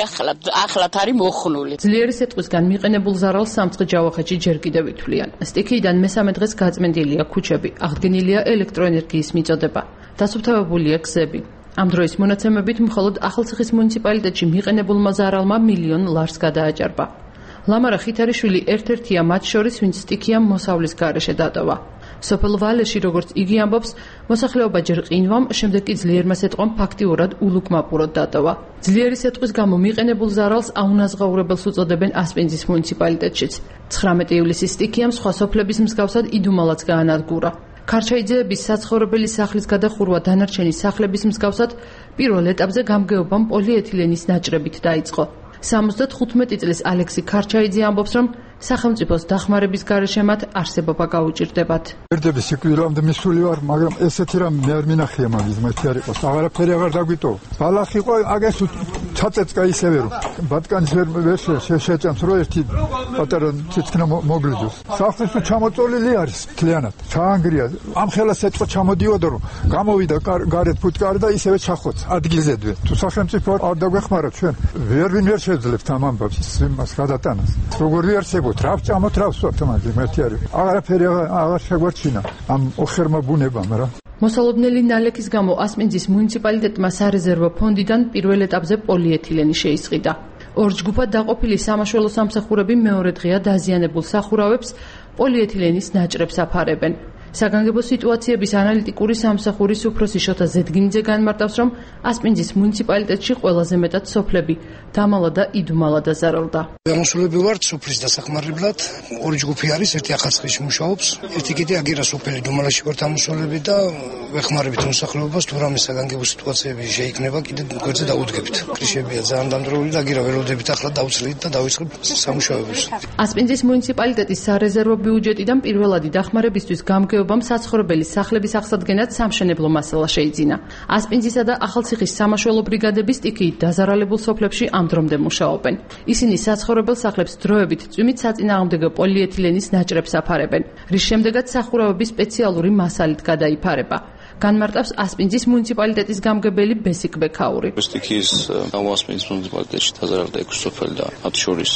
ახლად არის მოხნული. ძლიერი სეტყვისგან მიყენებულ ზარალს სამცხე ჯავახეთში ჯერ კიდევ ითვლიან. სტიქიდან მესამე დღეს გაწმენდილია ქუჩები, აღდგენილია ელექტროენერგიის მიწოდება, დასუფთავებულია გზები. ამ დროის მონაცემებით მხოლოდ ახალციხის მუნიციპალიტეტში მიყენებულმა ზარალმა $1,000,000 ლარს გადააჭარბა. ლამარა ხითარიშვილი ერთ-ერთია მათ შორის, ვინც სტიქიამ მოსავლის გარეშე დატოვა. სოფელ ვალეში, როგორც იგი ამბობს, მოსახლეობა ჯერ ყინვამ, შემდეგ კი ძლიერმა სეტყვამ ფაქტიურად ულუკმაპურად დატოვა. ძლიერი სეტყვის გამო მიყენებულ ზარალს აუნაზღაურებელს უწოდებენ ასპინძის მუნიციპალიტეტშიც. 19 ივლისის სტიქიამ სხვა სოფლების მსგავსად იდუმალაც გაანადგურა. ქარჩაიძეების საცხოვრებელი სახლის გადახურვა დანარჩენი სახლების მსგავსად პირველ ეტაპზე გამგეობამ პოლიეთილენის ნაჭრებით დაიწყო. 75 წლის ალექსი ქარჩაიძე ამბობს, რომ სახელმწიფოს დახმარების გარეშე მათ არსებობა გაუჭირდებათ. ერთები სიკვდილამდე მისული ვარ, მაგრამ ესეთი რამ მე არ მინახია მაგის მათი არ იყოს. აღარაფერი აღარ დაგვიტოვა. ბალახი ყო აგეს ჩაწეწკა ისევე რომ ბატკანის ვერ შეჭამს რომ ერთი პატარა ციცქნა მოგლიძოს. სახლის თუ ჩამოწოლილი არის მთლიანად. ჩაანგრია. ამ ხელას ეთყო ჩამოდიოდა რომ გამოვიდა გარეთ ფუტკარი და ისევე ჩახოც ადგილზედვე. თუ სახელმწიფო არ დაგვეხმარა ჩვენ ვერ შეძლებთ ამ ამბავს იმას გადატანას. როგორი არსებობთ, რა ვჭამოთ, რა ვსვათ მაგის მეთი არის. აღარაფერი აღარ შეგვარჩინა ამ ოხერმა ბუნებამ რა. მოსალოდნელი ნალექის გამო ასპინძის მუნიციპალიტეტმა სარეზერვო ფონდიდან პირველ ეტაპზე პოლიეთილენი შეისყიდა. ორ ჯგუფად დაყოფილი სამაშველო სამსახურები მეორე დღეა დაზიანებულ სახურავებს პოლიეთილენის ნაჭრებს აფარებენ. საგანგებო სიტუაციების ანალიტიკური სამსახურის უფროსი შოთა ზედგინიძე განმარტავს, რომ ასპინძის მუნიციპალიტეტში ყველაზე მეტად სოფლები დამალა და იდუმალა დაზარალდა. გამოსულები ვართ სოფლის დასახმარებლად. ორი ჯგუფი არის, ერთი ახალციხეში მუშაობს, ერთი კიდე აგერა სოფელი დუმალაში ვართ ამოსულები და ვეხმარებით მოსახლეობას, თუ რამე საგანგებო სიტუაციები შეიქმნება, კიდე გვერდზე დაუდგებით. კრიშებია ძალიან დამდროული და აგერა ველოდებით ახლა დავცლით და დავიწყებ სამუშაოებს. ასპინძის მუნიციპალიტეტის სარეზერვო ბიუჯეტიდან პირველადი დახმარებისთვის გამგეობამ საცხოვრებელი სახლების აღსადგენად სამშენებლო მასალა შეიძინა. ასპინძისა და ახალციხის სამაშველო ბრიგადები სტიქიით დაზარალებულ სოფლებში ამ დრომდე მუშაობენ. ისინი საცხოვრებელ სახლებს დროებით წვიმით საწინააღმდეგო პოლიეთილენის ნაჭრებს აფარებენ, რის შემდეგაც სახურავები სპეციალური მასალით გადაიფარება. განმარტავს ასპინძის მუნიციპალიტეტის გამგებელი ბესიკ ბექაური. სტიქიის ასპინძის მუნიციპალიტეტში დაზარალდა 6 სოფელი და მათ შორის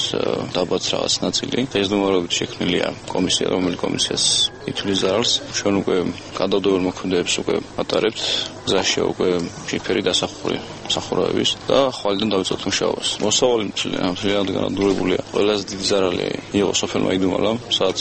დაბაც რაღაც ნაწილი. დღესდღეობით შექმნილია კომისია, რომელიც კომისიას ითვლის ზარალს. ჩვენ უკვე გადავდოებელ მოქმედებებს უკვე ატარებთ. გზაში უკვე შიფერი დასახური სახურავების და ხვალიდან დავიწყოთ მუშაობას. მოსავალი მთლიანად განადგურებულია. ყველაზე დიდი ზარალი იყო სოფელმა იდუმალამ, სადაც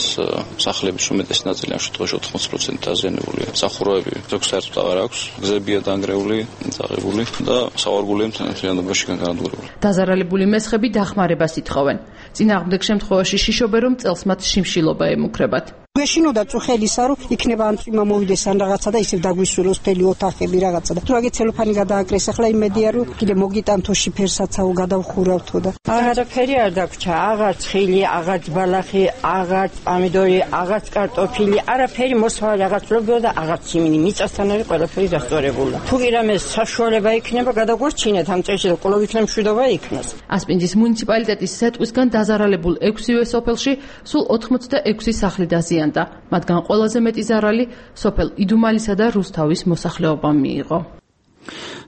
სახლების უმეტესი ნაწილი ამ შემთხვევაში 80% დაზიანებულია. სახურავები საერთოდ აღარ აქვს, გზებია დანგრეული, წაღებული და სავარგულია მთლიანობაში განადგურებული. დაზარალებული მესხები დახმარებას ითხოვენ. წინააღმდეგ შემთხვევაში შიშობენ, რომ წელს მათ შიმშილობა ემუქრებათ. გვეშინოდა წუხელისა, რომ იქნება ან წვიმა მოვიდეს ან რაღაცა და ისევ დაგვისულოს მთელი ოთახები რაღაცა და თუ აგე ცელოფანი გადააკრეს, ახლა იმედია რომ კიდე მოგიტანთო შიფერსაცაო გადავხურავთო და აღარაფერი არ დაგვრჩა, აღარც ხილი, აღარც ბალახი, აღარც პომიდორი, აღარც კარტოფილი, არაფერი მოსვლა რაღაც ლოგო და აღარც იმინი მიწასთან არის ყველაფერი დასწორებული. თუ კი რამე საშუალება იქნება, გადაგვარჩინეთ ამ წელში და ყოველ იქნება მშვიდობა იქნას. ასპინძის მუნიციპალიტეტის სეტყვისგან დაზარალებულ 6-ვე სოფელში სულ 86 სახლი დაზიანდა. მათგან ყველაზე მეტი ზარალი სოფელ იდუმალისა და რუსთავის მოსახლეობამ მიიღო.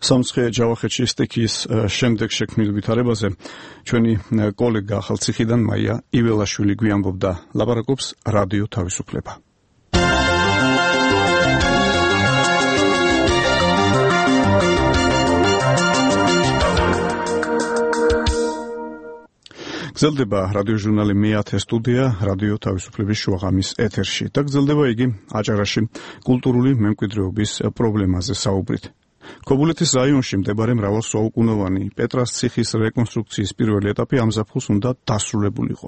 სამცხე ჯავახეთში სტიქიის შემდეგ შექმნილ ვითარებაზე ჩვენი კოლეგა ახალციხიდან მაია იველაშვილი გვიამბობდა. ლაპარაკობს რადიო თავისუფლება. გრძელდება რადიოჟურნალი მე-10 სტუდია რადიო თავისუფლების შუაღამის ეთერში და გრძელდება იგი აჭარაში კულტურული მემკვიდრეობის პრობლემაზე საუბრით. ქობულეთის რაიონში მდებარე მრავალსაუკუნოვანი პეტრას ციხის რეკონსტრუქციის პირველი ეტაპი ამ ზაფხულს უნდა დასრულებულიყო.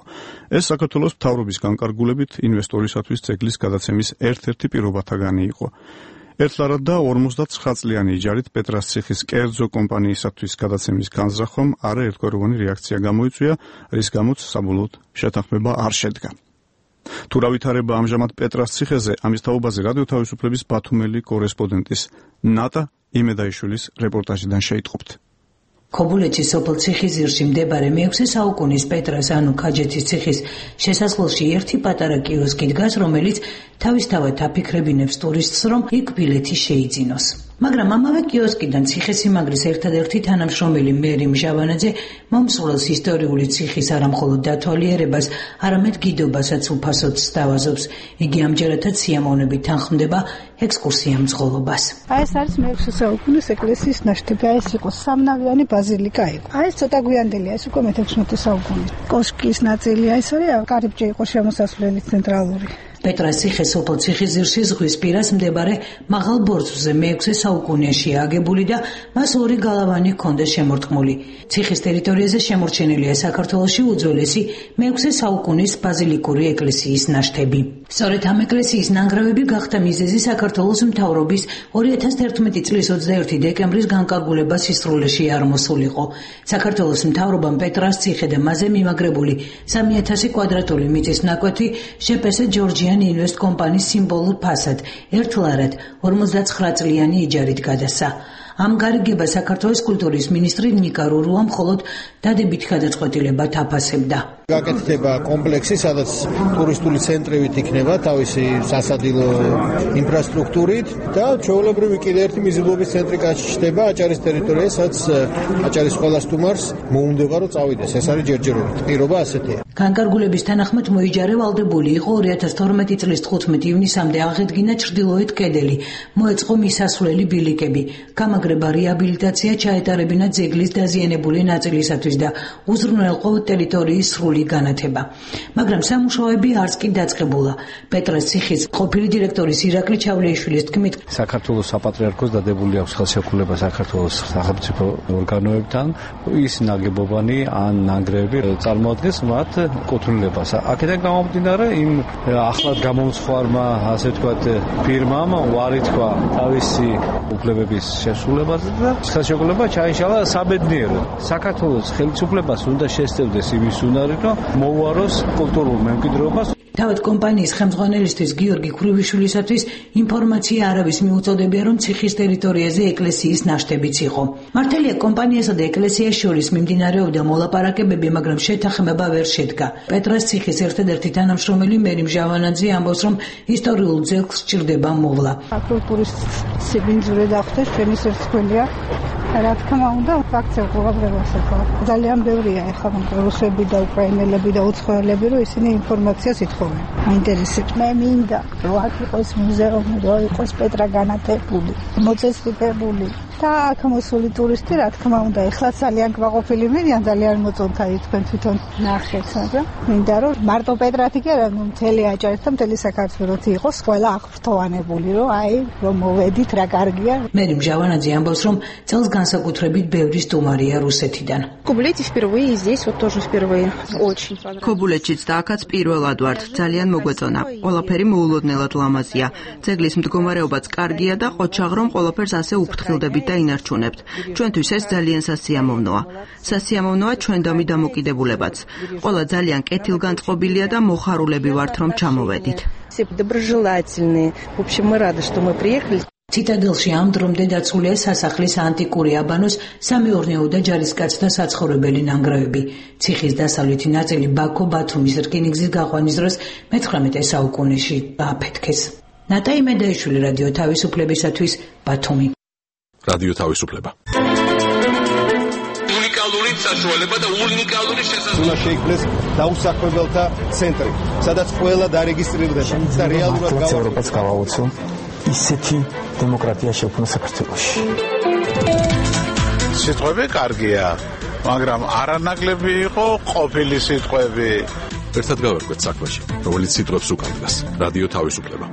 ეს საქართველოს მთავრობის განკარგულებით ინვესტორისათვის ძეგლის გადაცემის ერთ-ერთი პირობათაგანი იყო. ერთლარად და 59 წლიანი იჯარით პეტრას ციხის კერძო კომპანიისათვის გადაცემის განზრახვამ არაერთგვაროვანი რეაქცია გამოიწვია, რის გამოც საბოლოოდ შეთანხმება არ შედგა. თუ რა ვითარება ამჟამად პეტრას ციხეზე, ამის თაობაზე რადიო თავისუფლების ბათუმელი კორესპონდენტის ნატა იმედაიშვილის რეპორტაჟიდან შეიტყობთ. ქობულეთის სოფელ ციხისძირში მდებარე მე-6 საუკუნის პეტრას ანუ ქაჯეთის ციხის შესასვლელში ერთი პატარა კიოსკი დგას, რომელიც თავისთავად აფიქრებინებს ტურისტს, რომ იქ ბილეთი შეიძინოს. მაგრამ ამავე კიოსკიდან ციხესიმაგრის ერთადერთი თანამშრომელი მერი მჟავანაძე მომსვლელს ისტორიული ციხის არამხოლოდ დათვალიერებას, არამედ გიდობასაც უფასოდ სთავაზობს. იგი ამჯერადაც სიამოვნებით თანხმდება ექსკურსია მძღოლობას. ეს არის მე-6 საუკუნის ეკლესიის ნაშთები. ეს იყო სამნავიანი ბაზილიკა იყო. ეს ცოტა გვიანდელია, ეს უკვე მე-16 საუკუნის. კოშკის ნაწილია, ეს არის კარიბჭე იყო შემოსასვლელი ცენტრალური. პეტრას ციხე სოფელ ციხისძირში ზღვის პირას მდებარე მაღალ ბორცვზე მე-6 საუკუნეშია აგებული და მას ორი გალავანი ჰქონდა შემორტყმული. ციხის ტერიტორიაზე შემორჩენილია საქართველოში უძველესი მე-6 საუკუნის ბაზილიკური ეკლესიის ნაშთები. სწორედ ამ ეკლესიის ნანგრევები გახდა მიზეზი საქართველოს მთავრობის 2011 წლის 21 დეკემბრის განკარგულებას სისრულეში არ მოსულიყო. საქართველოს მთავრობამ პეტრას ციხე და მასზე მიმაგრებული 3000 კვადრატული მიწის ნაკვეთი შეპესა ჯორჯიან ინვესტ კომპანიის სიმბოლურ ფასად ერთლარად 59 წლიანი იჯარით გადასცა. ამ გარიგებას საქართველოს კულტურის მინისტრი ნიკა რურუა მხოლოდ დადებით გადაწყვეტილებად აფასებდა. გაკეთდება კომპლექსი, სადაც ტურისტული ცენტრებით იქნება თავისი სასადილო ინფრასტრუქტურით და ჩვეულებრივი კიდე ერთი მიზიდულობის ცენტრი გაჩნდება აჭარის ტერიტორიაზე, სადაც აჭარის ყველა სტუმარს მოუნდება რომ წავიდეს. ეს არის ჯერჯერობით. პირობა ასეთია. განკარგულების თანახმად მოიჯარე ვალდებული იყო 2012 წლის 15 ივნისამდე აღედგინა ჩრდილოეთ კედელი, მოეწყო მისასვლელი ბილიკები, გამაგრება რეაბილიტაცია ჩაეტარებინა ძეგლის დაზიანებული ნაწილისათვის და უზრუნველყო ტერიტორიის სრული განათება. მაგრამ სამუშაოები არც კი დაწყებულა. პეტრას ციხის ყოფილი დირექტორის ირაკლი ჩავლეიშვილის თქმით, საქართველოს საპატრიარქოს დადებული აქვს ხელშეკრულება საქართველოს სახელმწიფო ორგანოებთან, ის ნაგებობანი ან ნანგრევები წარმოადგენს მათ კუთვნილებას. აქედან გამომდინარე, იმ ახლად გამომცხვარმა, ასე ვთქვათ, ფირმამ უარი თქვა თავისი უფლებების შესრულებაზე და ხელშეკრულება ჩაიშალა საბედნიეროდ. საქართველოს ხელისუფლებას უნდა შესწევდეს იმის უნარი, რომ მოუაროს კულტურულ მემკვიდრეობას. თავად კომპანიის ხელმძღვანელისთვის გიორგი ქრუვიშვილისათვის ინფორმაცია არავის მიუწოდებია, რომ ციხის ტერიტორიაზე ეკლესიის ნაშთებიც იყო. მართალია კომპანიასა და ეკლესიას შორის მიმდინარეობდა მოლაპარაკებები, მაგრამ შეთანხმება ვერ შედგა. პეტრას ციხის ერთადერთი თანამშრომელი მერი მჟავანაძე ამბობს, რომ ისტორიულ ძეგლს სჭირდება მოვლა. კულტურის სიბინძურე დახტეს ჩვენი სერცხვილია. რა თქმა უნდა, ფაქტია ყურადღებას ეხლა. ძალიან ბევრია ეხლა რუსები და უკრაინელები და უცხოელები, რომ ისინი ინფორმაციას ითხოვენ. მაინტერესებს. მე მინდა, რომ აქ იყოს მუზეუმი, რომ იყოს პეტრა განათებული, მოწესრიგებული. და აქ მოსული ტურისტი, რა თქმა უნდა, ეხლა ძალიან გვაყოფილი მიდიან, ძალიან მოწონთ აი თქვენ თვითონ ნახეთ, მაგრამ მინდა რომ მარტო პეტრათი კი არა, მთელი აჭარით და მთელი საქართველოს იყოს ყველა აღფრთოვანებული, რომ აი რომ მოვედით, რა კარგია. მერი მჟავანაძე ამბობს, რომ წელს განსაკუთრებით ბევრი სტუმარია რუსეთიდან. ქობულეთშიც და აქაც პირველად ვართ, ძალიან მოგვეწონა. ყველაფერი მოულოდნელად ლამაზია. ძეგლის მდგომარეობაც კარგია და ყოჩაღრომ ყველაფერს ასე უფრთხილდებით და ინარჩუნებთ. ჩვენთვის ეს ძალიან სასიამოვნოა. სასიამოვნოა ჩვენდამი დამოკიდებულებაც. ყველა ძალიან კეთილგანწყობილია და მოხარულები ვართ, რომ ჩამოვედით. ციტადელში ამ დრომდე დაცულია სასახლის ანტიკური აბანოს, სამეურნეო და ჯარისკაცთა საცხოვრებელი ნანგრევები. ციხის დასავლეთი ნაწილი ბაქო-ბათუმის რკინიგზის გაყვანის დროს მე-19 საუკუნეში დააფეთქეს. ნატა იმედაიშვილი, რადიო თავისუფლებისათვის, ბათუმი. რადიო თავისუფლება. უნიკალური საშუალება და უნიკალური შესაძლებლობა. უნდა შეიქმნეს დაუსაქმებელთა ცენტრი, სადაც ყველა დარეგისტრირდება და რეალურად ევროპას გავაუწო ისეთი დემოკრატია შექმნა საქართველოში. სიტყვები კარგია. მაგრამ არანაკლები იყო ყოფილი სიტყვები. ერთად გავერკვეთ საქმეში, რომელიც სიტყვებს უკანდგას. რადიო თავისუფლება.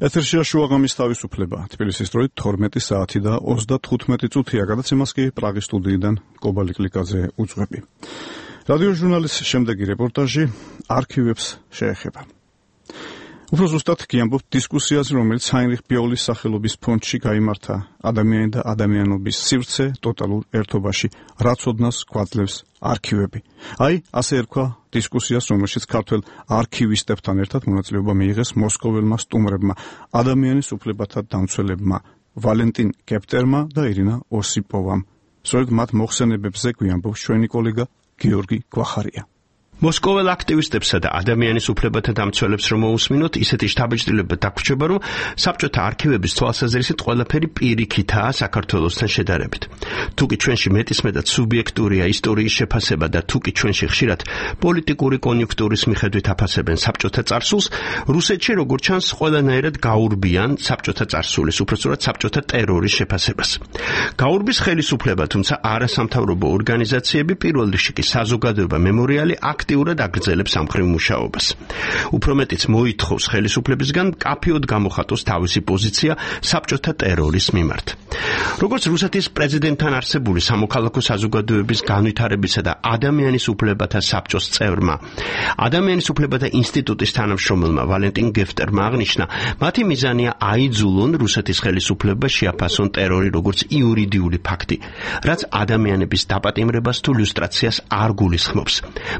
ეთერშია შუაღამის თავისუფლება. თბილისის დროით 12 საათი და 35 წუთია. გადაცემას კი პრაღის სტუდიიდან კობალი კლიკაზე უძღვები. რადიო ჟურნალის შემდეგი რეპორტაჟი არქივებს შეეხება. უფრო ზუსტად გიამბობთ დისკუსიაზე, რომელიც ჰაინრიხ ბიოლის სახელობის ფონდში გაიმართა ადამიანი და ადამიანობის სივრცე ტოტალურ ერთობაში, რაც ოდნავს გვაძლევს არქივები. აი, ასე ერქვა დისკუსიას, რომელშიც ქართველ არქივისტებთან ერთად მონაწილეობა მიიღეს მოსკოველმა სტუმრებმა, ადამიანის უფლებათა დამცველებმა, ვალენტინ გეპტერმა და ირინა ოსიპოვამ. სწორედ მათ მოხსენებებზე გვიამბობს ჩვენი კოლეგა გიორგი გვახარია. მოსკოველ აქტივისტებსა და ადამიანის უფლებათა დამცველებს რომ მოусმინოთ, ისეთი შთაბეჭდილება დაგვრჩება, რომ საბჭოთა არქივების თვალსაზრისით ყველაფერი პირიქითაა საქართველოსთან შედარებით. თუკი ჩვენში მეტისმეტად სუბიექტურია ისტორიის შეფასება და თუკი ჩვენში ხშირად პოლიტიკური კონიუნქტურის მიხედვით აფასებენ საბჭოთა წარსულს, რუსეთში როგორც ჩანს ყველანაირად გაურბიან საბჭოთა წარსულის, უпростоრად საბჭოთა ტერორის შეფასებას. გაურბის ხელისუფლება, თუმცა არასამთავრობო ორგანიზაციები, პირველ რიგში კი საზოგადოება მემორიალი აქტიურად აგრძელებს ამხრივ მუშაობას. უფრო მეტიც მოითხოვს ხელისუფლებისგან მკაფიოდ გამოხატოს თავისი პოზიცია საბჭოთა ტერორის მიმართ. როგორც რუსეთის პრეზიდენტთან არსებული სამოქალაქო საზოგადოების განვითარებისა და ადამიანის უფლებათა საბჭოს წევრმა, ადამიანის უფლებათა ინსტიტუტის თანამშრომელმა ვალენტინ გეფტერმა აღნიშნა, მათი მიზანია აიძულონ რუსეთის ხელისუფლებას შეაფასონ ტერორი როგორც იურიდიული ფაქტი, რაც ადამიანების დაპატიმრებას თუ ილუსტრაციას არ გულისხმობს.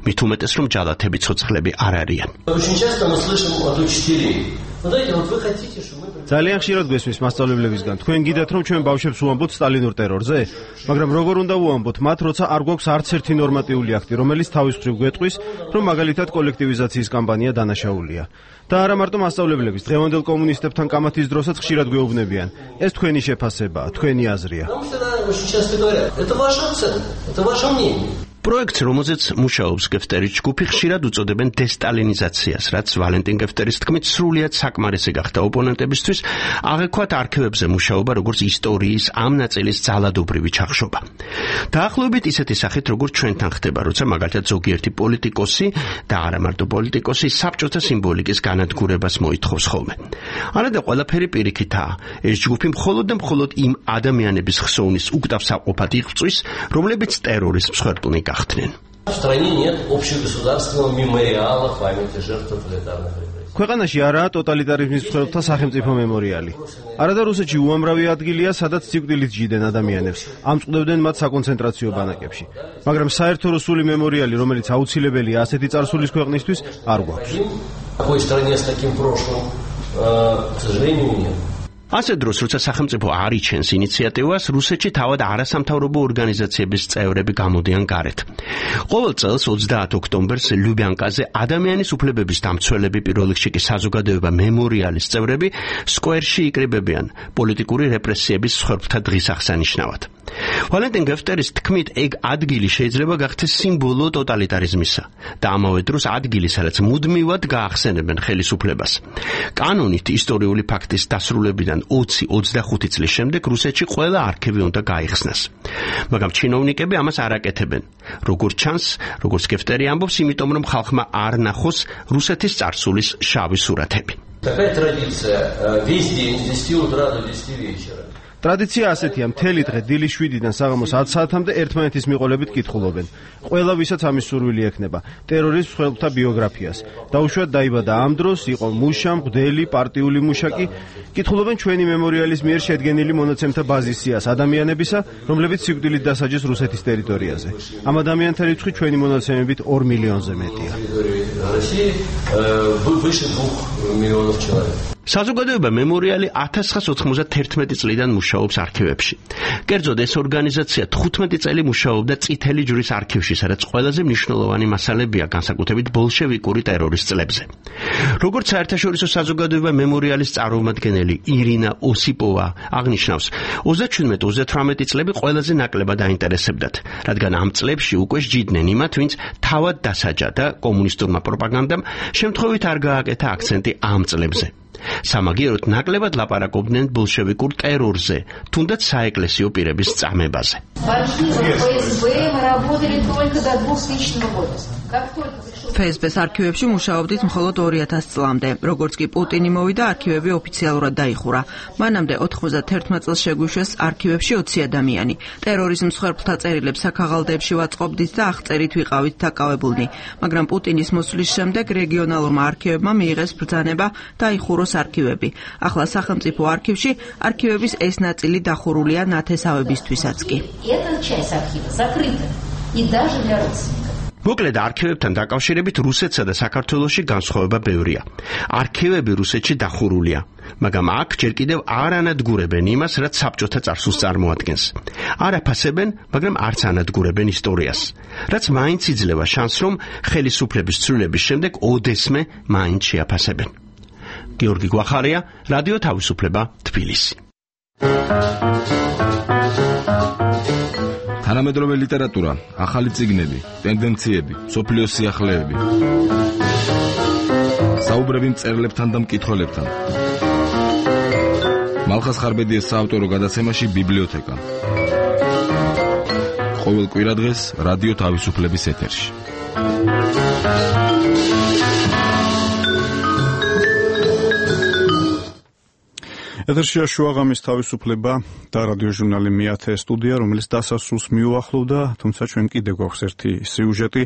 მით უმეტეს რომ ჯალათები ცოცხლები არ არიან. ძალიან ხშირად გვესმის მასწავლებლებისგან, თქვენ გიდათ რომ ჩვენ ბავშვებს უამბობთ სტალინურ ტერორზე, მაგრამ როგორ უნდა უამბოთ მათ, როცა არ გვაქვს არც ერთი ნორმატიული აქტი, რომელიც თავის მხრივ გვეტყვის, რომ მაგალითად კოლექტივიზაციის კამპანია დანაშაულია. და არა მარტო მასწავლებლების, დღევანდელ კომუნისტებთან კამათის დროსაც ხშირად გვეუბნებიან, ეს თქვენი შეფასებაა, თქვენი აზრია. პროექტს, რომელზეც მუშაობს გეფტერის ჯგუფი, ხშირად უწოდებენ დესტალინიზაციას, რაც ვალენტინ გეფტერის თქმით სრულიად საკმარისი გახდა ოპონენტებისთვის, აღექვათ არქივებზე მუშაობა როგორც ისტორიის ამ ნაწილის ძალადობრივი ჩახშობა. დაახლოებით ისეთი სახით, როგორც ჩვენთან ხდება, როცა მაგალითად ზოგიერთი პოლიტიკოსი და არა მარტო პოლიტიკოსი საბჭოთა სიმბოლიკის განადგურებას მოითხოვს ხოლმე. არადა ყველაფერი პირიქითაა. ეს ჯგუფი მხოლოდ და მხოლოდ იმ ადამიანების ხსოვნის უკტავსაყოფად იღწვის, რომლებიც ტერორის მსხვერპლნი გახდნენ. В стране нет общегосударственного мемориала в памяти жертв тоталитарных репрессий. ქვეყანაში არაა ტოტალიტარიზმის მსხვერპლთა სახელმწიფო მემორიალი. არადა რუსეთში უამრავი ადგილია, სადაც სიკვდილით ჯიდნენ ადამიანებს, ამწყდებდნენ მათ საკონცენტრაციო ბანაკებში. მაგრამ საერთო რუსული მემორიალი, რომელიც აუცილებელია ასეთი წარსულის ქვეყნისთვის, არ გვაქვს. Такой стране с таким прошлым, к сожалению, нет. ასე დროს, როცა სახელმწიფო არ იჩენს ინიციატივას, რუსეთში თავად არასამთავრობო ორგანიზაციების წევრები გამოდიან გარეთ. ყოველ წელს 30 ოქტომბერს ლიუბიანკაზე ადამიანის უფლებების დამცველები, პირველ რიგში კი საზოგადოება მემორიალის წევრები სკვერში იკრიბებიან პოლიტიკური რეპრესიების მსხვერპლთა დღის აღსანიშნავად. ვალენტინ გეფტერის თქმით, ეგ ადგილი შეიძლება გახდეს სიმბოლო ტოტალიტარიზმისა და ამავე დროს ადგილი, სადაც მუდმივად გაახსენებენ ხელისუფლებას. კანონით ისტორიული ფაქტის დასრულებიდან 20-25 წლის შემდეგ რუსეთში ყველა არქივი უნდა გაიხსნას. მაგრამ ჩინოვნიკები ამას არ აკეთებენ. როგორც ჩანს, როგორც გეფტერი ამბობს, იმიტომ რომ ხალხმა არ ნახოს რუსეთის წარსულის შავი სურათები. Такая традиция весь день с 10 утра до 10 вечера. ტრადიცია ასეთია, მთელი დღე დილის 7-დან საღამოს 10 საათამდე ერთმანეთის მიყოლებით კითხულობენ. ყველა ვისაც ამის სურვილი ექნება, ტერორის მსხვერპლთა ბიოგრაფიას. დაუშვათ დაიბადა ამ დროს, იყო მუშა, მღვდელი, პარტიული მუშაკი. კითხულობენ ჩვენი მემორიალის მიერ შედგენილი მონაცემთა ბაზის სიას ადამიანებისა, რომლებიც სიკვდილით დასაჯეს რუსეთის ტერიტორიაზე. ამ ადამიანთა რიცხვი ჩვენი მონაცემებით 2 მილიონზე მეტია. საზოგადოება მემორიალი 1991 წლიდან მუშაობს არქივებში. კერძოდ ეს ორგანიზაცია 15 წელი მუშაობდა წითელი ჯვრის არქივში, სადაც ყველაზე მნიშვნელოვანი მასალებია განსაკუთრებით ბოლშევიკური ტერორის წლებზე. როგორც საერთაშორისო საზოგადოება მემორიალის წარმომადგენელი ირინა ოსიპოვა აღნიშნავს, 37-38 წლები ყველაზე ნაკლებად აინტერესებდათ, რადგან ამ წლებში უკვე სჯიდნენ იმათ, ვინც თავად დასაჯა და კომუნისტურმა პროპაგანდამ შემთხვევით არ გააკეთა აქცენტი ამ წლებზე. სამაგიეროდ ნაკლებად ლაპარაკობდნენ ბოლშევიკურ ტერორზე, თუნდაც საეკლესიო პირების წამებაზე. FSB-ს არქივებში მუშაობდით მხოლოდ 2000 წლამდე. როგორც კი პუტინი მოვიდა, არქივები ოფიციალურად დაიხურა. მანამდე 91 წელს შეგვიშვეს არქივებში 20 ადამიანი. ტერორიზმის მსხვერპლთა წერილებს საქაღალდეებში ვაწყობდით და აღწერით ვიყავით დაკავებულნი. მაგრამ პუტინის მოსვლის შემდეგ რეგიონალურმა არქივებმა მიიღეს ბრძანება დაიხუროს არქივები. ახლა სახელმწიფო არქივში არქივების ეს ნაწილი დახურულია ნათესავებისთვისაც კი. მოკლედ არქივებთან დაკავშირებით რუსეთსა და საქართველოში განსხვავება ბევრია. არქივები რუსეთში დახურულია, მაგრამ აქ ჯერ კიდევ არ ანადგურებენ იმას, რაც საბჭოთა წარსულს წარმოადგენს. არ აფასებენ, მაგრამ არც ანადგურებენ ისტორიას, რაც მაინც იძლევა შანსს, რომ ხელისუფლების ცვლილების შემდეგ ოდესმე მაინც შეაფასებენ. გიორგი გვახარია, რადიო თავისუფლება, თბილისი. თანამედროვე ლიტერატურა, ახალი წიგნები, ტენდენციები, სოფლიოს სიახლეები. საუბრები მწერლებთან და მკითხველებთან. მალხას ხარბედიას საავტორო გადაცემაში ბიბლიოთეკა. ყოველ კვირადღეს რადიო თავისუფლების ეთერში. ეთერშია შუაღამის თავისუფლება და რადიო ჟურნალი მეათე სტუდია, რომელიც დასასრულს მიუახლოვდა, თუმცა ჩვენ კიდევ გვაქვს ერთი სიუჟეტი.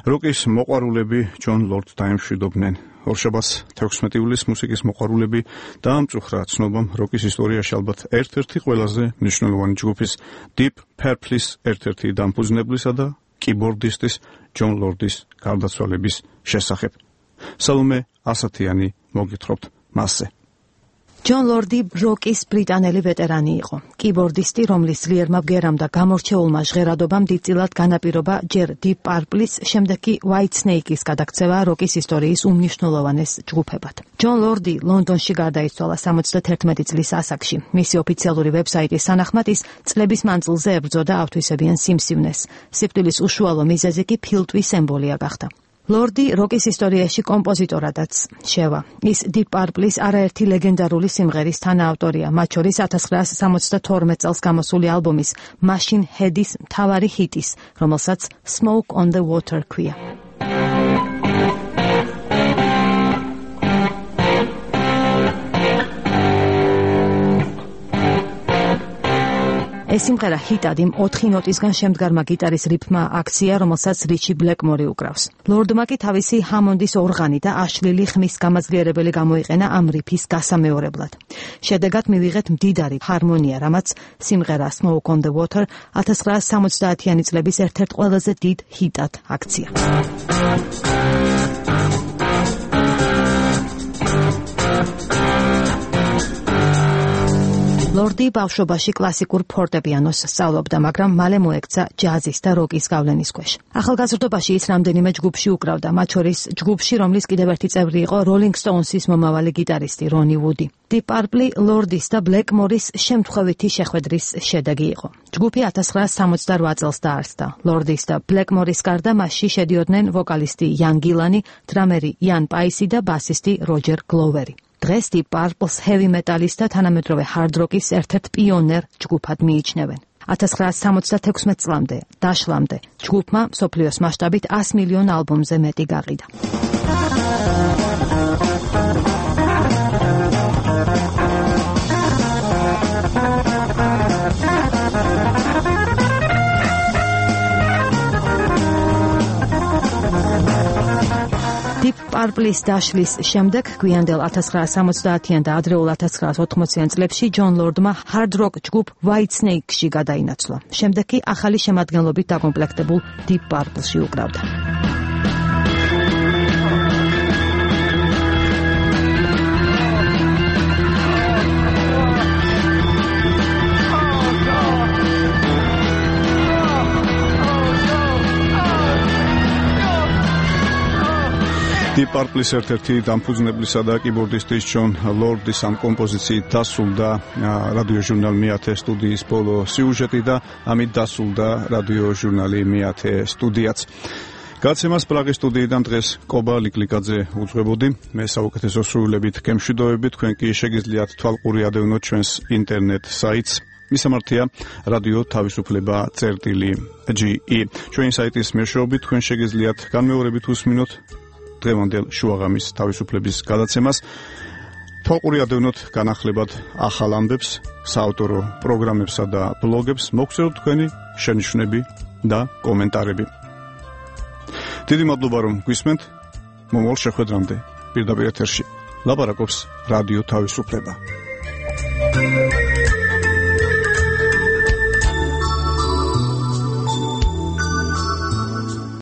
როკის მოყვარულები ჯონ ლორდს დაემშვიდობდნენ. ორშაბათს 16 ივლისს მუსიკის მოყვარულები დაამწუხრა ცნობამ როკის ისტორიაში ალბათ ერთ-ერთი ყველაზე მნიშვნელოვანი ჯგუფის Deep Purple-ის ერთ-ერთი დამფუძნებლისა და კიბორდისტის ჯონ ლორდის გარდაცვალების შესახებ. სალომე ასათიანი მოგითხრობთ მასზე. ჯონ ლორდი როკის ბრიტანელი ვეტერანი იყო. კიბორდისტი, რომლის ძლიერმა ბგერამ და გამორჩეულმა ჟღერადობამ დიდწილად განაპირობა ჯერ Deep Purple-ის, შემდეგ კი White Snake-ის გადაქცევა როკის ისტორიის უმნიშვნელოვანეს ჯგუფებად. ჯონ ლორდი ლონდონში გარდაიცვალა 71 წლის ასაკში. მისი ოფიციალური ვებსაიტის თანახმად ის წლების მანძილზე ებრძოდა ავთვისებიან სიმსივნეს. სიკვდილის უშუალო მიზეზი კი ფილტვის ემბოლია გახდა. ლორდი როკის ისტორიაში კომპოზიტორადაც შევა. ის Deep Purple-ის არაერთი ლეგენდარული სიმღერის თანაავტორია, მათ შორის 1972 წელს გამოსული ალბომის Machine Head-ის მთავარი ჰიტის, რომელსაც Smoke on the Water ქვია. ეს სიმღერა ჰიტად იმ 4 ნოტისგან შემდგარმა გიტარის რიფმა აქცია, რომელსაც რიჩი ბლეკმორი უკრავს. ლორდმა კი თავისი ჰამონდის ორღანი და აშლილი ხმის გამაძლიერებელი გამოიყენა ამ რიფის გასამეორებლად. შედეგად მივიღეთ მდიდარი ჰარმონია, რამაც სიმღერა Smoke on the Water 1970-იანი წლების ერთ-ერთ ყველაზე დიდ ჰიტად აქცია. ლორდი ბავშვობაში კლასიკურ ფორტეპიანოს სწავლობდა, მაგრამ მალე მოექცა ჯაზის და როკის გავლენის ქვეშ. ახალგაზრდობაში ის რამდენიმე ჯგუფში უკრავდა, მათ შორის ჯგუფში, რომლის კიდევ ერთი წევრი იყო Rolling Stones-ის მომავალი გიტარისტი რონი ვუდი. Deep Purple ლორდის და ბლეკმორის შემთხვევითი შეხვედრის შედეგი იყო. ჯგუფი 1968 წელს დაარსდა. ლორდის და ბლეკმორის გარდა მასში შედიოდნენ ვოკალისტი იან გილანი, დრამერი იან პაისი და ბასისტი როჯერ გლოვერი. დღეს Deep Purple-ს heavy metal-ის და თანამედროვე hard rock-ის ერთ-ერთ პიონერ ჯგუფად მიიჩნევენ. 1976 წლამდე დაშლამდე ჯგუფმა მსოფლიოს მასშტაბით 100 მილიონ ალბომზე მეტი გაყიდა. Deep Purple-ის დაშლის შემდეგ გვიანდელ 1970-იან და ადრეულ 1980-იან წლებში ჯონ ლორდმა hard rock ჯგუფ White Snake-ში გადაინაცვლა. შემდეგ კი ახალი შემადგენლობით დაკომპლექტებულ Deep Purple-ში უკრავდა. Deep Purple-ის ერთ-ერთი დამფუძნებლისა და კიბორდისტის ჯონ ლორდის ამ კომპოზიციით დასრულდა რადიო ჟურნალ მეათე სტუდიის ბოლო სიუჟეტი და ამით დასრულდა რადიო ჟურნალი მეათე სტუდიაც. გაცემას პრაღის სტუდიიდან დღეს კობა ლიკლიკაძე უძღვებოდი. მე საუკეთესო სრულებით გემშვიდობები, თქვენ კი შეგიძლიათ თვალყური ადევნოთ ჩვენს ინტერნეტ საიტს. მისამართია რადიო თავისუფლება.ge. ჩვენი საიტის მეშვეობით თქვენ შეგიძლიათ განმეორებით უსმინოთ დღევანდელ შუაღამის თავისუფლების გადაცემას. თვალყური ადევნოთ განახლებად ახალ ამბებს, საავტორო პროგრამებსა და ბლოგებს, მოგხსენოთ თქვენი შენიშვნები და კომენტარები. დიდი მადლობა რომ გვისმენთ. მომავალ შეხვედრამდე პირდაპირ ეთერში ლაპარაკობს რადიო თავისუფლება.